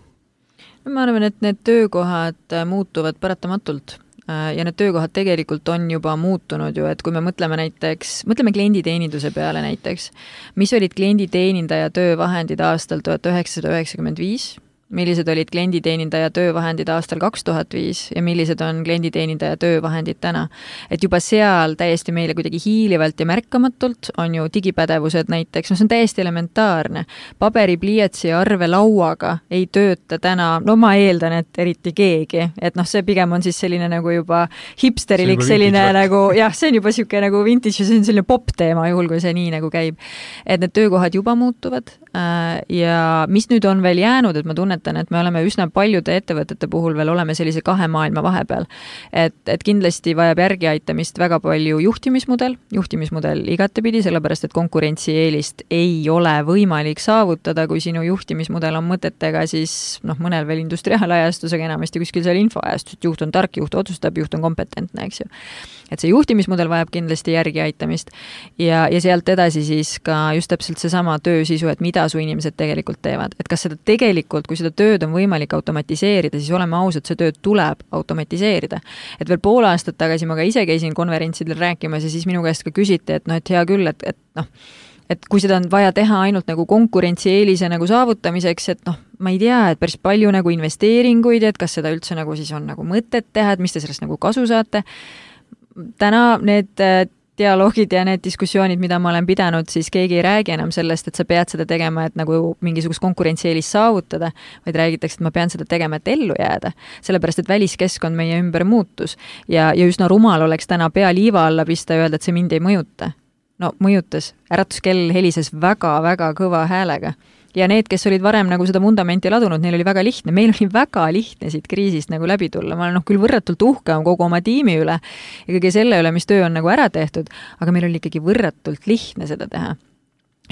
Ma arvan, et need töökohad muutuvad paratamatult. Ja need töökohad tegelikult on juba muutunud ju, et kui me mõtleme klienditeeninduse peale näiteks, mis olid klienditeenindaja töövahendid aastal 1995, millised olid klienditeenindaja töövahendid aastal 2005 ja millised on klienditeenindaja töövahendid täna. Et juba seal täiesti meile kuidagi hiilivalt ja märkamatult on ju digipädevused näiteks, see on täiesti elementaarne. Paberi, pliiatsi ja arve lauaga ei tööta täna, ma eeldan, et eriti keegi, et see pigem on siis selline nagu juba hipsterilik, selline nagu, see on juba siuke nagu vintage ja see on selline pop teema juhul, kui see nii nagu käib. Et need töökohad juba muutuvad ja mis nüüd on veel jäänud, et ma tunnetan, et me oleme üsna paljude ettevõtete puhul veel oleme sellise 2 maailma vahepeal. Et kindlasti vajab järgi aitamist väga palju juhtimismudel igatepidi, sellepärast, et konkurentsieelist ei ole võimalik saavutada, kui sinu juhtimismudel on mõtetega siis mõnel veel industriaalajastusega enamasti kuskil seal infoajastus, et juht on tark, juht otsustab, juht on kompetentne, eks ju. Et see juhtimismudel vajab kindlasti järgi aitamist ja sealt edasi siis ka just täpselt seesama töösisu, et mida su inimesed tegelikult teevad. Et kas seda tegelikult, kui seda tööd on võimalik automatiseerida, siis oleme ausad, see tööd tuleb automatiseerida. Et veel pool aastat tagasi ma ka ise käisin konverentsidel rääkimas ja siis minu käest ka küsiti, et hea küll, et kui seda on vaja teha ainult nagu konkurentsieelise nagu saavutamiseks, et ma ei tea, et päris palju nagu investeeringuid, et kas seda üldse nagu siis on nagu mõtet teha, et mis te sellest nagu kasu saate. Täna need dialoogid ja need diskussioonid, mida ma olen pidanud, siis keegi ei räägi enam sellest, et sa pead seda tegema, et nagu mingisugust konkurentsieelis saavutada, vaid räägitakse, et ma pean seda tegema, et ellu jääda. Sellepärast, et väliskeskkond meie ümber muutus ja üsna rumal oleks täna pea liiva alla pista ja öelda, et see mind ei mõjuta. Mõjutas. Äratuskell helises väga-väga kõva häälega. Ja need, kes olid varem nagu seda vundamenti ladunud, neil oli väga lihtne. Meil oli väga lihtne siit kriisist nagu läbi tulla. Ma olen küll võrratult uhke kogu oma tiimi üle ja kõige selle üle, mis töö on nagu ära tehtud, aga meil oli ikkagi võrratult lihtne seda teha.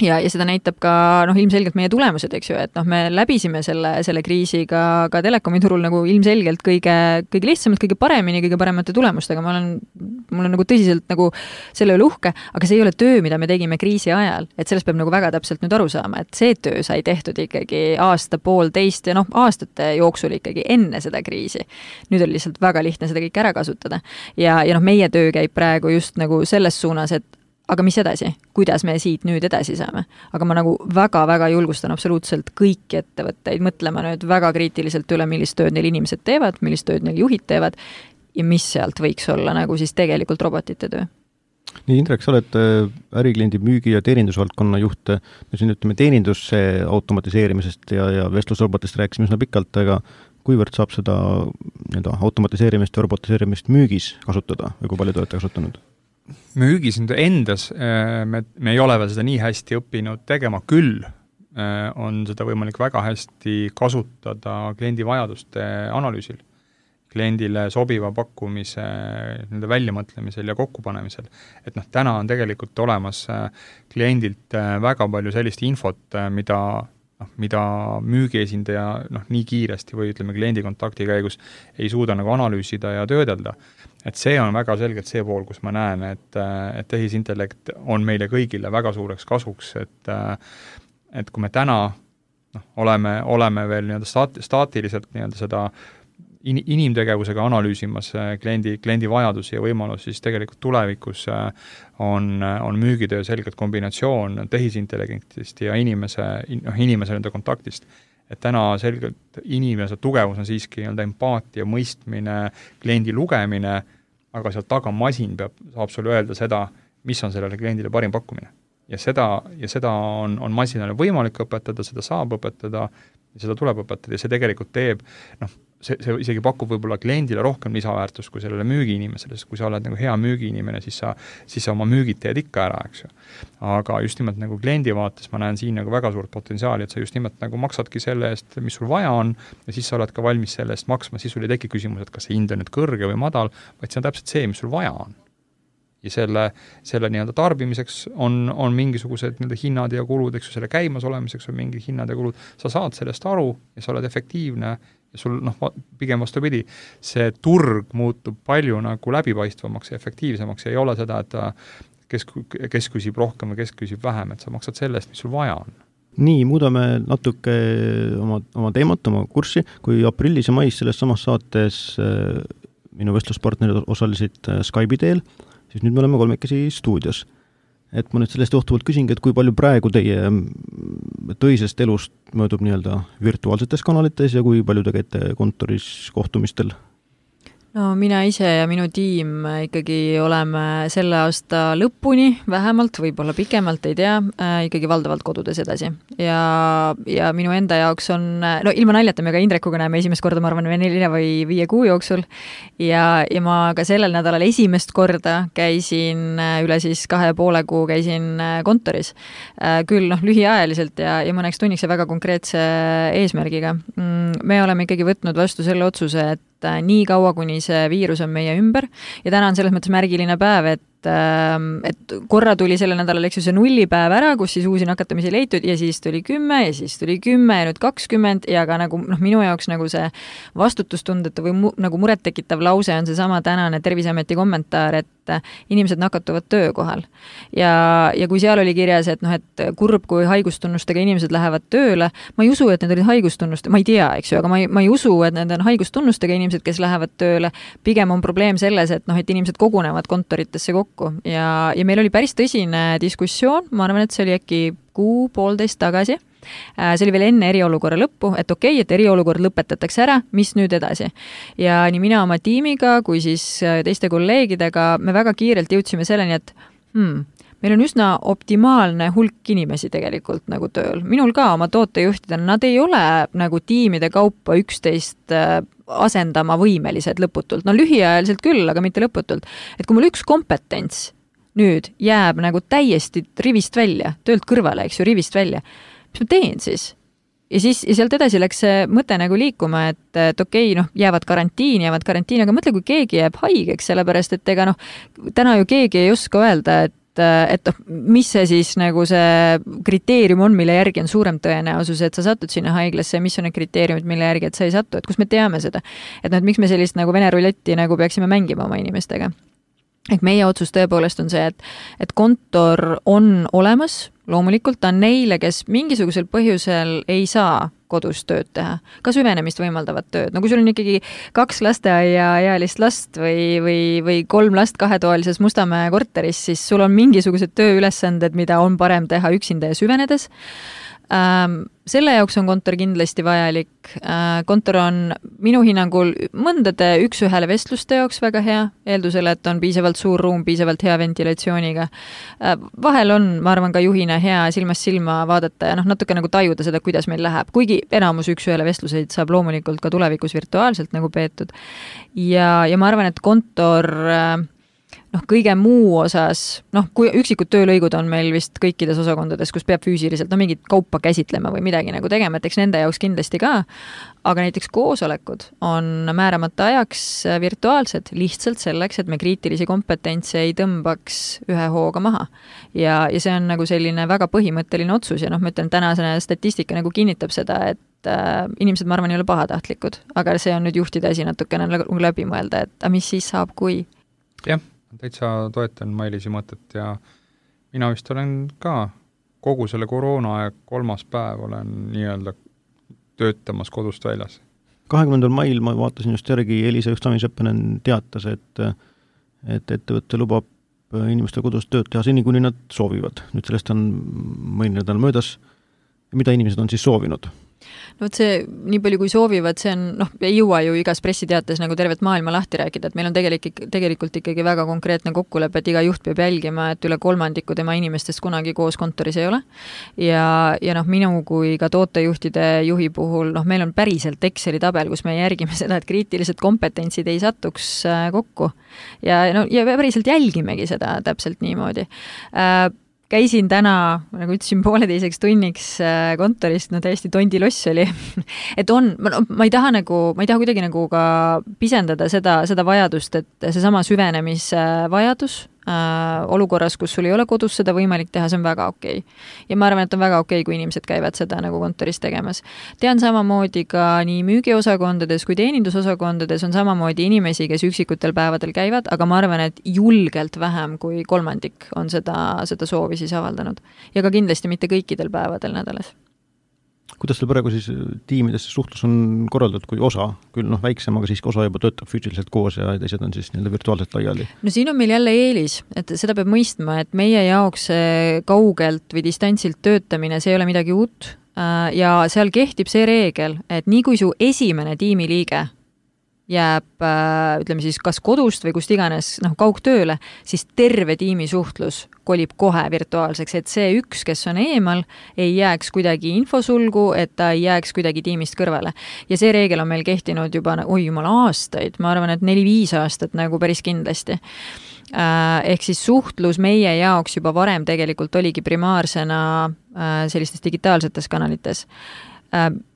Ja seda näitab ka ilmselgelt meie tulemused, eks ju, et me läbisime selle kriisiga ka telekomi turul nagu ilmselgelt kõige lihtsamalt, kõige paremini, kõige paremate tulemustega. Mul on nagu tõsiselt nagu selle üle uhke, aga see ei ole töö, mida me tegime kriisi ajal, et sellest peab nagu väga täpselt nüüd aru saama, et see töö sai tehtud ikkagi aasta-poolteist ja aastate jooksul ikkagi enne seda kriisi. Nüüd oli lihtsalt väga lihtne seda kõik ära kasutada. Ja meie töö käib praegu just nagu selles suunas, et aga mis edasi? Kuidas me siit nüüd edasi saame? Aga ma nagu väga-väga julgustan absoluutselt kõiki ettevõtteid mõtlema nüüd väga kriitiliselt üle, millist tööd neil inimesed teevad, millist tööd neil juhid teevad ja mis sealt võiks olla nagu siis tegelikult robotite töö. Nii, Indrek, sa oled ärikliendi müügi- ja teenindusvaldkonna juht. Me siin ütleme teeninduse automatiseerimisest ja vestlusrobotist rääkisime üsna pikalt, aga kuivõrd saab seda nii-öelda automatiseerimist ja robotiseerimist müügis kasutada või kui palju te olete kasutanud? Müügis endas me ei ole veel seda nii hästi õppinud tegema, küll on seda võimalik väga hästi kasutada kliendi vajaduste analüüsil, kliendile sobiva pakkumise nende väljamõtlemisel ja kokkupanemisel. Et täna on tegelikult olemas kliendilt väga palju sellist infot, mida müügiesindaja nii kiiresti või ütleme kliendi kontakti käigus ei suuda nagu analüüsida ja töödelda. Et see on väga selgelt see pool, kus ma näen, et tehisintellekt on meile kõigile väga suureks kasuks, et kui me täna oleme veel staatiliselt seda inimtegevusega analüüsimas kliendi vajadusi ja võimalusi, siis tegelikult tulevikus on müügitöö selgelt kombinatsioon tehisintelligentist ja inimese nende kontaktist. Et täna selgelt inimese tugevus on siiski empaatia, mõistmine, kliendi lugemine, aga sealt taga masin saab sulle öelda seda, mis on sellele kliendile parim pakkumine. Ja seda on masinale võimalik õpetada, seda saab õpetada ja seda tuleb õpetada ja see tegelikult teeb, see isegi pakub võib-olla kliendile rohkem lisaväärtust kui sellele müügiinimesele, sest kui sa oled hea müügiinimene, siis sa oma müügid teed ikka ära, eks ju. Aga just nimelt kliendi vaates ma näen siin väga suurt potentsiaali, et sa just nimelt maksadki selle eest, mis sul vaja on ja siis sa oled ka valmis selle eest maksma, siis sul ei teki küsimus, et kas see hind on nüüd kõrge või madal, vaid see on täpselt see, mis sul vaja on. Ja selle tarbimiseks on mingisugused hinnad ja kulud, eks ju, selle käimas olemiseks on mingi hinnad ja kulud, sa saad sellest aru ja sa oled efektiivne ja sul pigem vastupidi, see turg muutub palju läbipaistvamaks ja efektiivsemaks ja ei ole seda, et kes küsib rohkem või kes küsib vähem, et sa maksad sellest, mis sul vaja on. Nii, muudame natuke oma teemat, oma kurssi, kui aprillis ja mais selles samas saates minu vestluspartnerid osalesid Skype'i teel, siis nüüd me oleme kolmekesi stuudios. Et ma nüüd sellest johtuvalt küsingi, et kui palju praegu teie tõisest elust möödub virtuaalsetes kanalites ja kui palju te käite kontoris kohtumistel? No mina ise ja minu tiim ikkagi oleme selle aasta lõpuni vähemalt, võib-olla pikemalt, ei tea, ikkagi valdavalt kodudes edasi. Ja minu enda jaoks on, ilma naljata me ka Indrekuga näeme esimest korda, ma arvan, 4 või 5 kuu jooksul. Ja ma ka sellel nädalal esimest korda käisin üle 2,5 kuu käisin kontoris. Küll lühiajaliselt ja mõneks tunniks ja väga konkreetse eesmärgiga. Me oleme ikkagi võtnud vastu selle otsuse, et nii kaua, kuni see viirus on meie ümber ja täna on selles mõttes märgiline päev, et korra tuli sellel nädalal see nullipäev ära, kus siis uusi nakatamisi leitud ja siis tuli 10 ja siis tuli 10 ja nüüd 20 ja ka minu jaoks see vastutustundetu või muret tekitav lause on seesama tänane Terviseameti kommentaar, et inimesed nakatuvad töökohal. Ja kui seal oli kirjas, et kurb, kui haigustunnustega inimesed lähevad tööle, ma ei usu, et need olid haigustunnust, ma ei tea, eks ju, aga ma ei usu, et need on haigustunnustega inimesed, kes lähevad tööle. Pigem on probleem selles, et inimesed kogunevad kontoritesse kokku ja meil oli päris tõsine diskussioon, ma arvan, et see oli äkki 1.5 tagasi. See oli veel enne eriolukorra lõppu, et okei, et eriolukord lõpetatakse ära, mis nüüd edasi. Ja nii mina oma tiimiga kui siis teiste kolleegidega me väga kiirelt jõudsime selleni, et meil on üsna optimaalne hulk inimesi tegelikult tööl. Minul ka oma tootejuhtidena, nad ei ole tiimide kaupa 11 asendama võimelised lõputult. Lühiajaliselt küll, aga mitte lõputult. Et kui mul üks kompetents nüüd jääb täiesti rivist välja, töölt kõrvale, eks ju, rivist välja, mis ma teen siis? Ja sealt edasi läks see mõte liikuma, et okei, jäävad karantiini, aga mõtle, kui keegi jääb haigeks, sellepärast, et ega täna ju keegi ei oska öelda, et mis see siis see kriteerium on, mille järgi on suurem tõenäosus, et sa satud sinna haiglasse ja mis on need kriteeriumid, mille järgi, et sa ei satu, et kus me teame seda. Et miks me sellist Vene ruletti peaksime mängima oma inimestega. Ehk meie otsus tõepoolest on see, et kontor on olemas, loomulikult ta on neile, kes mingisugusel põhjusel ei saa kodus tööd teha, ka süvenemist võimaldavat tööd. Kui sul on ikkagi 2 lasteaiaealist last või 3 last 2-toalises Mustamäe korteris, siis sul on mingisugused tööülesanded, mida on parem teha üksinda ja süvenedes. Selle jaoks on kontor kindlasti vajalik. Kontor on minu hinnangul mõndade 1-1 vestluste jaoks väga hea, eeldusele, et on piisavalt suur ruum, piisavalt hea ventilatsiooniga. Vahel on, ma arvan, ka juhina hea silmast silma vaadata ja natuke tajuda seda, kuidas meil läheb. Kuigi enamus üks-ühele vestluseid saab loomulikult ka tulevikus virtuaalselt nagu peetud. Ja ma arvan, et kontor kõige muu osas, kui üksikud töölõigud on meil vist kõikides osakondades, kus peab füüsiliselt mingit kaupa käsitlema või midagi nagu tegema, et eks nende jaoks kindlasti ka, aga näiteks koosolekud on määramata ajaks virtuaalsed lihtsalt selleks, et me kriitilisi kompetentse ei tõmbaks ühe hooga maha. Ja see on nagu selline väga põhimõtteline otsus ja ma ütlen, tänasene statistika nagu kinnitab seda, et inimesed, ma arvan, ei ole pahatahtlikud, aga see on nüüd juhtide asi natukene läbi mõelda, et mis siis saab, kui? Jah, täitsa toetan Mailisi mõtet ja mina vist olen ka kogu selle koroona aeg 3. päev olen nii-öelda töötamas kodust väljas. 20. mail ma vaatasin just järgi, Elisa Justamis-Õppenen teatas, et ettevõtte lubab inimeste kodus tööd teha seni, kuni nad soovivad. Nüüd sellest on mõni nädal möödas. Mida inimesed on siis soovinud? No see, nii palju kui soovivad, see on, ei jõua ju igas pressiteates nagu tervet maailma lahti rääkida, et meil on tegelikult ikkagi väga konkreetne kokkulepe, et iga juht peab jälgima, et üle 3% tema inimestest kunagi koos kontoris ei ole. Ja minu kui ka tootejuhtide juhi puhul, meil on päriselt Exceli tabel, kus me järgime seda, et kriitilised kompetentsid ei satuks kokku. Ja päriselt jälgimegi seda täpselt niimoodi. Käisin täna, nagu ütlesin, 1,5 tunniks kontorist, täiesti tondiloss oli. Et ma ei taha kuidagi nagu ka pisendada seda vajadust, et seesama süvenemisvajadus olukorras, kus sul ei ole kodus seda võimalik teha, see on väga okei. Ja ma arvan, et on väga okei, kui inimesed käivad seda nagu kontoris tegemas. Tean samamoodi ka nii müügiosakondades kui teenindusosakondades on samamoodi inimesi, kes üksikutel päevadel käivad, aga ma arvan, et julgelt vähem kui 3% on seda soovi siis avaldanud. Ja ka kindlasti mitte kõikidel päevadel nädalas. Kuidas teil praegu siis tiimides suhtlus on korraldatud, kui osa, küll väiksem, aga siiski osa juba töötab füüsiliselt koos ja teised on siis virtuaalselt laiali? No siin on meil jälle eelis, et seda peab mõistma, et meie jaoks kaugelt või distantsilt töötamine, see ei ole midagi uut ja seal kehtib see reegel, et nii kui su esimene tiimiliige jääb, ütleme siis, kas kodust või kust iganes kaugtööle, siis terve tiimi suhtlus kolib kohe virtuaalseks, et see üks, kes on eemal, ei jääks kuidagi infosulgu, et ta ei jääks kuidagi tiimist kõrvale. Ja see reegel on meil kehtinud juba, jumal, aastaid, ma arvan, et 4-5 aastat nagu päris kindlasti. Ehk siis suhtlus meie jaoks juba varem tegelikult oligi primaarsena sellistes digitaalsetes kanalites.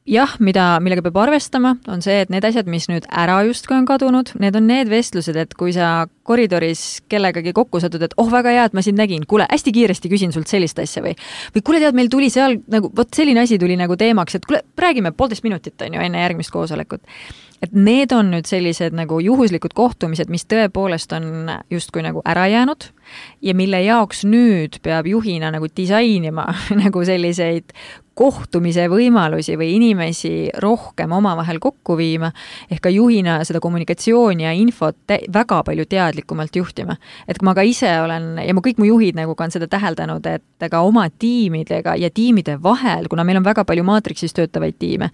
Jah, millega peab arvestama, on see, et need asjad, mis nüüd ära justkui on kadunud, need on need vestlused, et kui sa koridoris kellegagi kokku satud, et väga hea, et ma sind nägin, kuule, hästi kiiresti küsin sult sellist asja või kuule tead, meil tuli seal nagu, selline asi tuli nagu teemaks, et kuule, räägime 1,5 minutit enne järgmist koosolekut. Et need on nüüd sellised nagu juhuslikud kohtumised, mis tõepoolest on justkui nagu ära jäänud ja mille jaoks nüüd peab juhina nagu disainima nagu selliseid kohtumise võimalusi või inimesi rohkem omavahel kokku viima, ehk ka juhina seda kommunikatsiooni ja infot väga palju teadlikumalt juhtima. Et ma ka ise olen, ja kõik mu juhid nagu ka on seda täheldanud, et ka oma tiimidega ja tiimide vahel, kuna meil on väga palju maatriksis töötavaid tiime,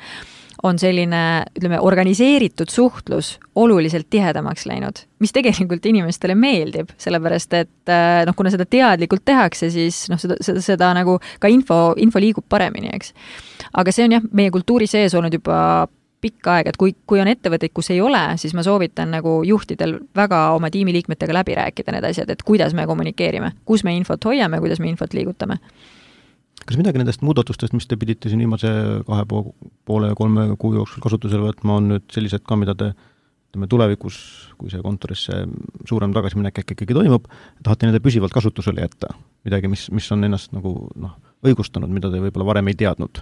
on selline, ütleme, organiseeritud suhtlus oluliselt tihedamaks läinud, mis tegelikult inimestele meeldib, sellepärast et kuna seda teadlikult tehakse, siis seda nagu ka info liigub paremini, eks. Aga see on jah, meie kultuuri sees olnud juba pikka aega, et kui on ettevõtteid, kus ei ole, siis ma soovitan nagu juhtidel väga oma tiimiliikmetega läbi rääkida need asjad, et kuidas me kommunikeerime, kus me infot hoiame, kuidas me infot liigutame. Kas midagi nendest muudatustest, mis te pidite siin viimase 2,5-3 kuu jooksul kasutusele võtma, on nüüd sellised ka, mida te tulevikus, kui see kontorisse suurem tagasiminek ikkagi toimub, tahate nende püsivalt kasutusele jätta? Midagi, mis on ennast nagu õigustanud, mida te võib-olla varem ei teadnud?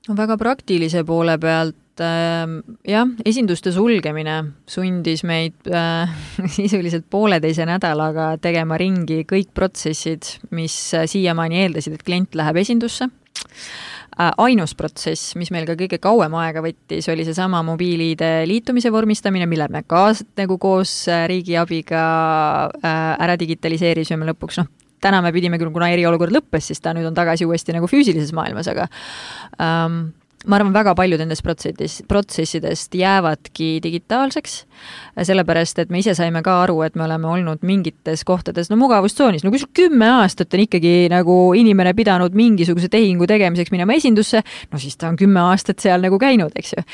Väga praktilise poole pealt, jah, esinduste sulgemine sundis meid sisuliselt 1,5 nädalaga tegema ringi kõik protsessid, mis siiamaani eeldasid, et klient läheb esindusse. Ainus protsess, mis meil ka kõige kauem aega võttis, oli seesama mobiiliide liitumise vormistamine, mille me ka nagu koos riigi abiga ära digitaliseerisime lõpuks. Täna me pidime küll, kuna eriolukord lõppes, siis ta nüüd on tagasi uuesti nagu füüsilises maailmas, ma arvan, väga paljud nendest protsessidest jäävadki digitaalseks, sellepärast, et me ise saime ka aru, et me oleme olnud mingites kohtades, mugavustsoonis, kui sul 10 aastat on ikkagi nagu inimene pidanud mingisuguse tehingu tegemiseks minema esindusse, siis ta on 10 aastat seal nagu käinud, eks ju.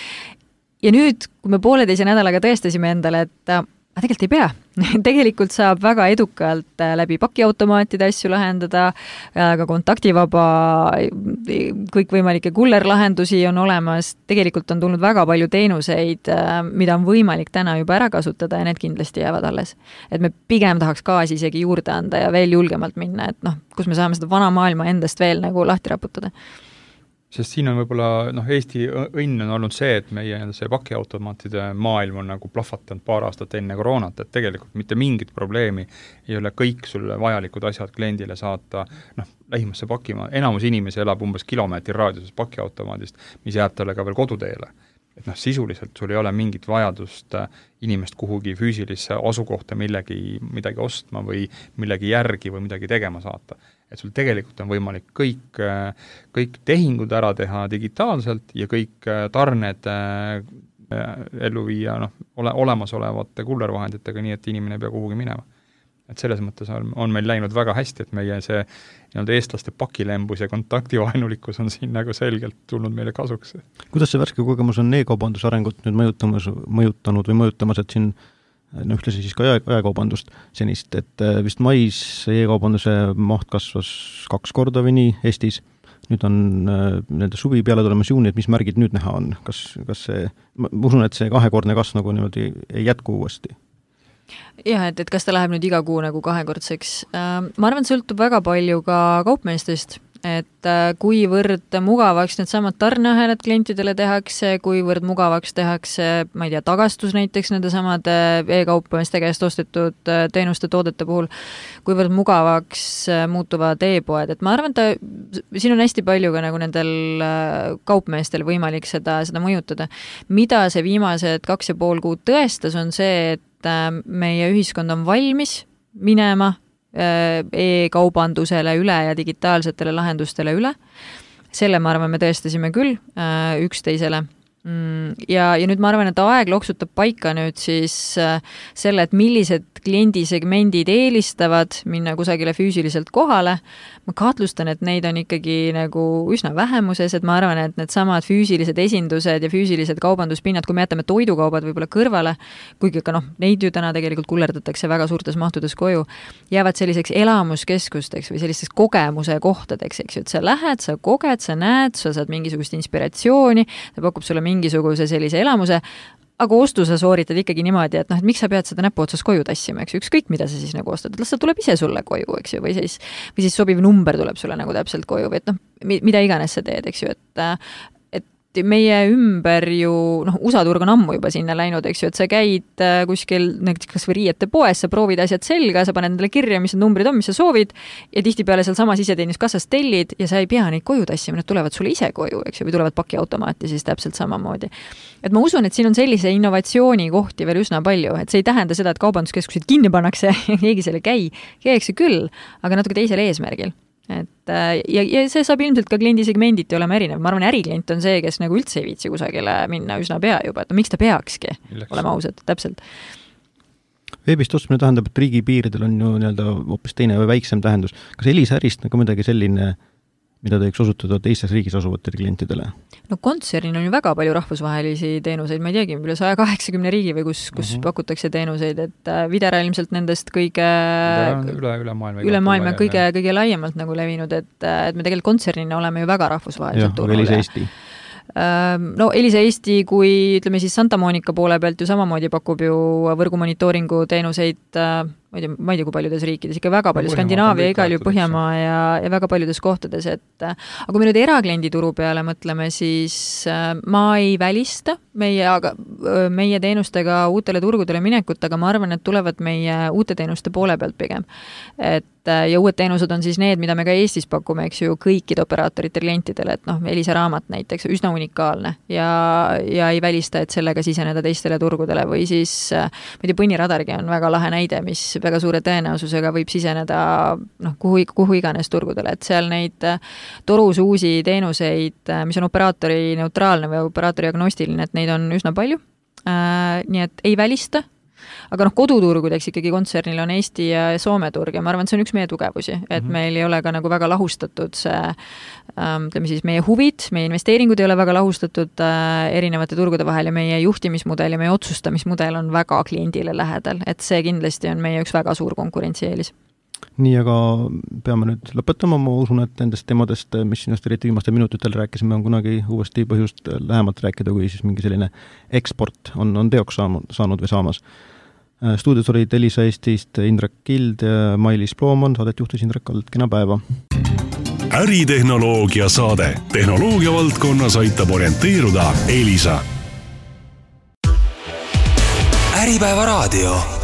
Ja nüüd, kui me 1,5 nädalaga tõestasime endale, et tegelikult ei pea. Tegelikult saab väga edukalt läbi pakiautomaatide asju lahendada, ka kontaktivaba, kõikvõimalikke kullerlahendusi on olemas. Tegelikult on tulnud väga palju teenuseid, mida on võimalik täna juba ära kasutada ja need kindlasti jäävad alles. Et me pigem tahaks gaasi isegi juurde anda ja veel julgemalt minna, et kus me saame seda vana maailma endast veel nagu lahti raputada. Sest siin on võib-olla, Eesti õnn on olnud see, et meie see pakiautomaatide maailm on nagu plahvatanud 2 aastat enne koroonat, et tegelikult mitte mingit probleemi ei ole kõik sulle vajalikud asjad kliendile saata, lähimasse pakimaa. Enamus inimesi elab umbes kilomeetri raadiuses pakiautomaadist, mis jääb talle ka veel koduteele. Et sisuliselt sul ei ole mingit vajadust inimest kuhugi füüsilisse asukohta midagi ostma või millegi järgi või midagi tegema saata. Et sul tegelikult on võimalik kõik tehingud ära teha digitaalselt ja kõik tarned ellu viia olemasolevate kullervahenditega, nii et inimene ei pea kuhugi minema. Et selles mõttes on meil läinud väga hästi, et meie see eestlaste pakilembus ja kontaktivaenulikkus on siin nagu selgelt tulnud meile kasuks. Kuidas see värske kogemus on e-kaubanduse arengut nüüd mõjutanud või mõjutamas, et siin ühtlasi siis ka jaekaubandust senist, et vist mais e-kaubanduse maht kasvas 2 korda või nii Eestis, nüüd on nende suvi peale tulemas juuni, et mis märgid nüüd näha on? Kas see, ma usun, et see 2-kordne kasv nagu niimoodi ei jätku uuesti? Jah, et kas ta läheb nüüd iga kuu nagu 2-kordseks. Ma arvan, et sõltub väga palju ka kaupmeestest, et kuivõrd mugavaks need samad tarneahelad klientidele tehakse, kuivõrd mugavaks tehakse, ma ei tea, tagastus näiteks nende samade e-kaupmeeste käest ostetud teenuste toodete puhul, kuivõrd mugavaks muutuvad e-poed, et ma arvan, et siin on hästi palju ka nagu nendel kaupmeestel võimalik seda mõjutada. Mida see viimased 2,5 kuud tõestas, on see, et meie ühiskond on valmis minema e-kaubandusele üle ja digitaalsetele lahendustele üle. Selle, ma arvan, me tõestasime küll üksteisele. Ja nüüd ma arvan, et aeg loksutab paika nüüd siis selle, et millised kliendisegmendid eelistavad minna kusagile füüsiliselt kohale. Ma kahtlustan, et neid on ikkagi nagu üsna vähemuses, et ma arvan, et need samad füüsilised esindused ja füüsilised kaubanduspinnad, kui me jätame toidukaubad võib-olla kõrvale, kuigi ka neid ju täna tegelikult kullerdatakse väga suurtes mahtudes koju, jäävad selliseks elamuskeskusteks või sellisteks kogemuse kohtadeks, eks ju, et sa lähed, sa koged, sa näed, sa saad mingisugust inspiratsiooni, ta pakub sulle mingisuguse sellise elamuse, aga ostu sa sooritad ikkagi niimoodi, et miks sa pead seda näpu otsas koju tassima, eks ju, ükskõik mida sa siis nagu ostad, las ta tuleb ise sulle koju, eks ju, või siis sobiv number tuleb sulle nagu täpselt koju, või et mida iganes sa teed, eks ju, et meie ümber ju, USA turg on ammu juba sinna läinud, eks ju, et sa käid kuskil kas või riiete poes, sa proovid asjad selga, sa paned endale kirja, mis need numbrid on, mis sa soovid, ja tihtipeale seal samas iseteenuskassas tellid ja sa ei pea neid koju tassima, need tulevad sulle ise koju, eks ju, või tulevad pakiautomaati siis täpselt samamoodi. Et ma usun, et siin on sellise innovatsiooni kohti veel üsna palju, et see ei tähenda seda, et kaubanduskeskused kinni pannakse ja keegi selle käiakse küll, aga natuke teisel eesmärgil. Et, ja see saab ilmselt ka kliendisegmenditi olema erinev. Ma arvan, äriklient on see, kes nagu üldse ei viitsi kusagile minna üsna pea juba, et miks ta peakski olema ausad, täpselt. Veebist ostmine tähendab, et riigipiiridel on ju hoopis teine või väiksem tähendus. Kas Elisärist nagu midagi selline, mida te võiks osutada teistes riigis asuvatele klientidele? Kontsernil on ju väga palju rahvusvahelisi teenuseid, ma ei teagi, üle 180 riigi või kus pakutakse teenuseid, et Videra ilmselt nendest kõige üle maailma kõige laiemalt nagu levinud, et me tegelikult kontsernina oleme ju väga rahvusvaheliselt turul. Elisa Eesti. Elisa Eesti, kui ütleme siis Santa Monica poole pealt ju samamoodi pakub ju võrgumonitooringu teenuseid, ma ei tea, kui paljudes riikides, ikka väga palju, Skandinaavia, igal ju Põhjamaa ja väga paljudes kohtades, et aga kui me nüüd erakliendi turu peale mõtleme, siis ma ei välista meie teenustega uutele turgudele minekut, aga ma arvan, et tulevad meie uute teenuste poole pealt pigem. Ja uued teenused on siis need, mida me ka Eestis pakume, eks ju, kõikide operaatorite klientidele, et Elisa raamat näiteks, üsna unikaalne ja ei välista, et sellega siseneda teistele turgudele või siis, ma ei tea, Põnniradargi on väga lahe näide, mis võib väga suure tõenäosusega võib siseneda kuhu iganes turgudele, et seal neid torus uusi teenuseid, mis on operaatori neutraalne või operaatori agnostiline, et neid on üsna palju, nii et ei välista. Aga koduturgudeks ikkagi kontsernil on Eesti ja Soome turg ja ma arvan, et see on üks meie tugevusi, et meil ei ole ka nagu väga lahustatud see, ütleme siis meie huvid, meie investeeringud ei ole väga lahustatud erinevate turgude vahel ja meie juhtimismudel ja meie otsustamismudel on väga kliendile lähedal, et see kindlasti on meie üks väga suur konkurentsieelis. Nii, aga peame nüüd lõpetama, ma usun, et nendest teemadest, mis sinust eriti viimastel minutitel rääkisime, on kunagi uuesti põhjust lähemalt rääkida, kui siis mingi selline eksport on teoks saanud või saamas. Stuudios olid Elisa Eestist Indrek Kild ja Mailis Plooman, saadet juhtis Indrek Kald, kena päeva. Äritehnoloogia saade. Tehnoloogia valdkonnas aitab orienteeruda Elisa. Äripäeva raadio.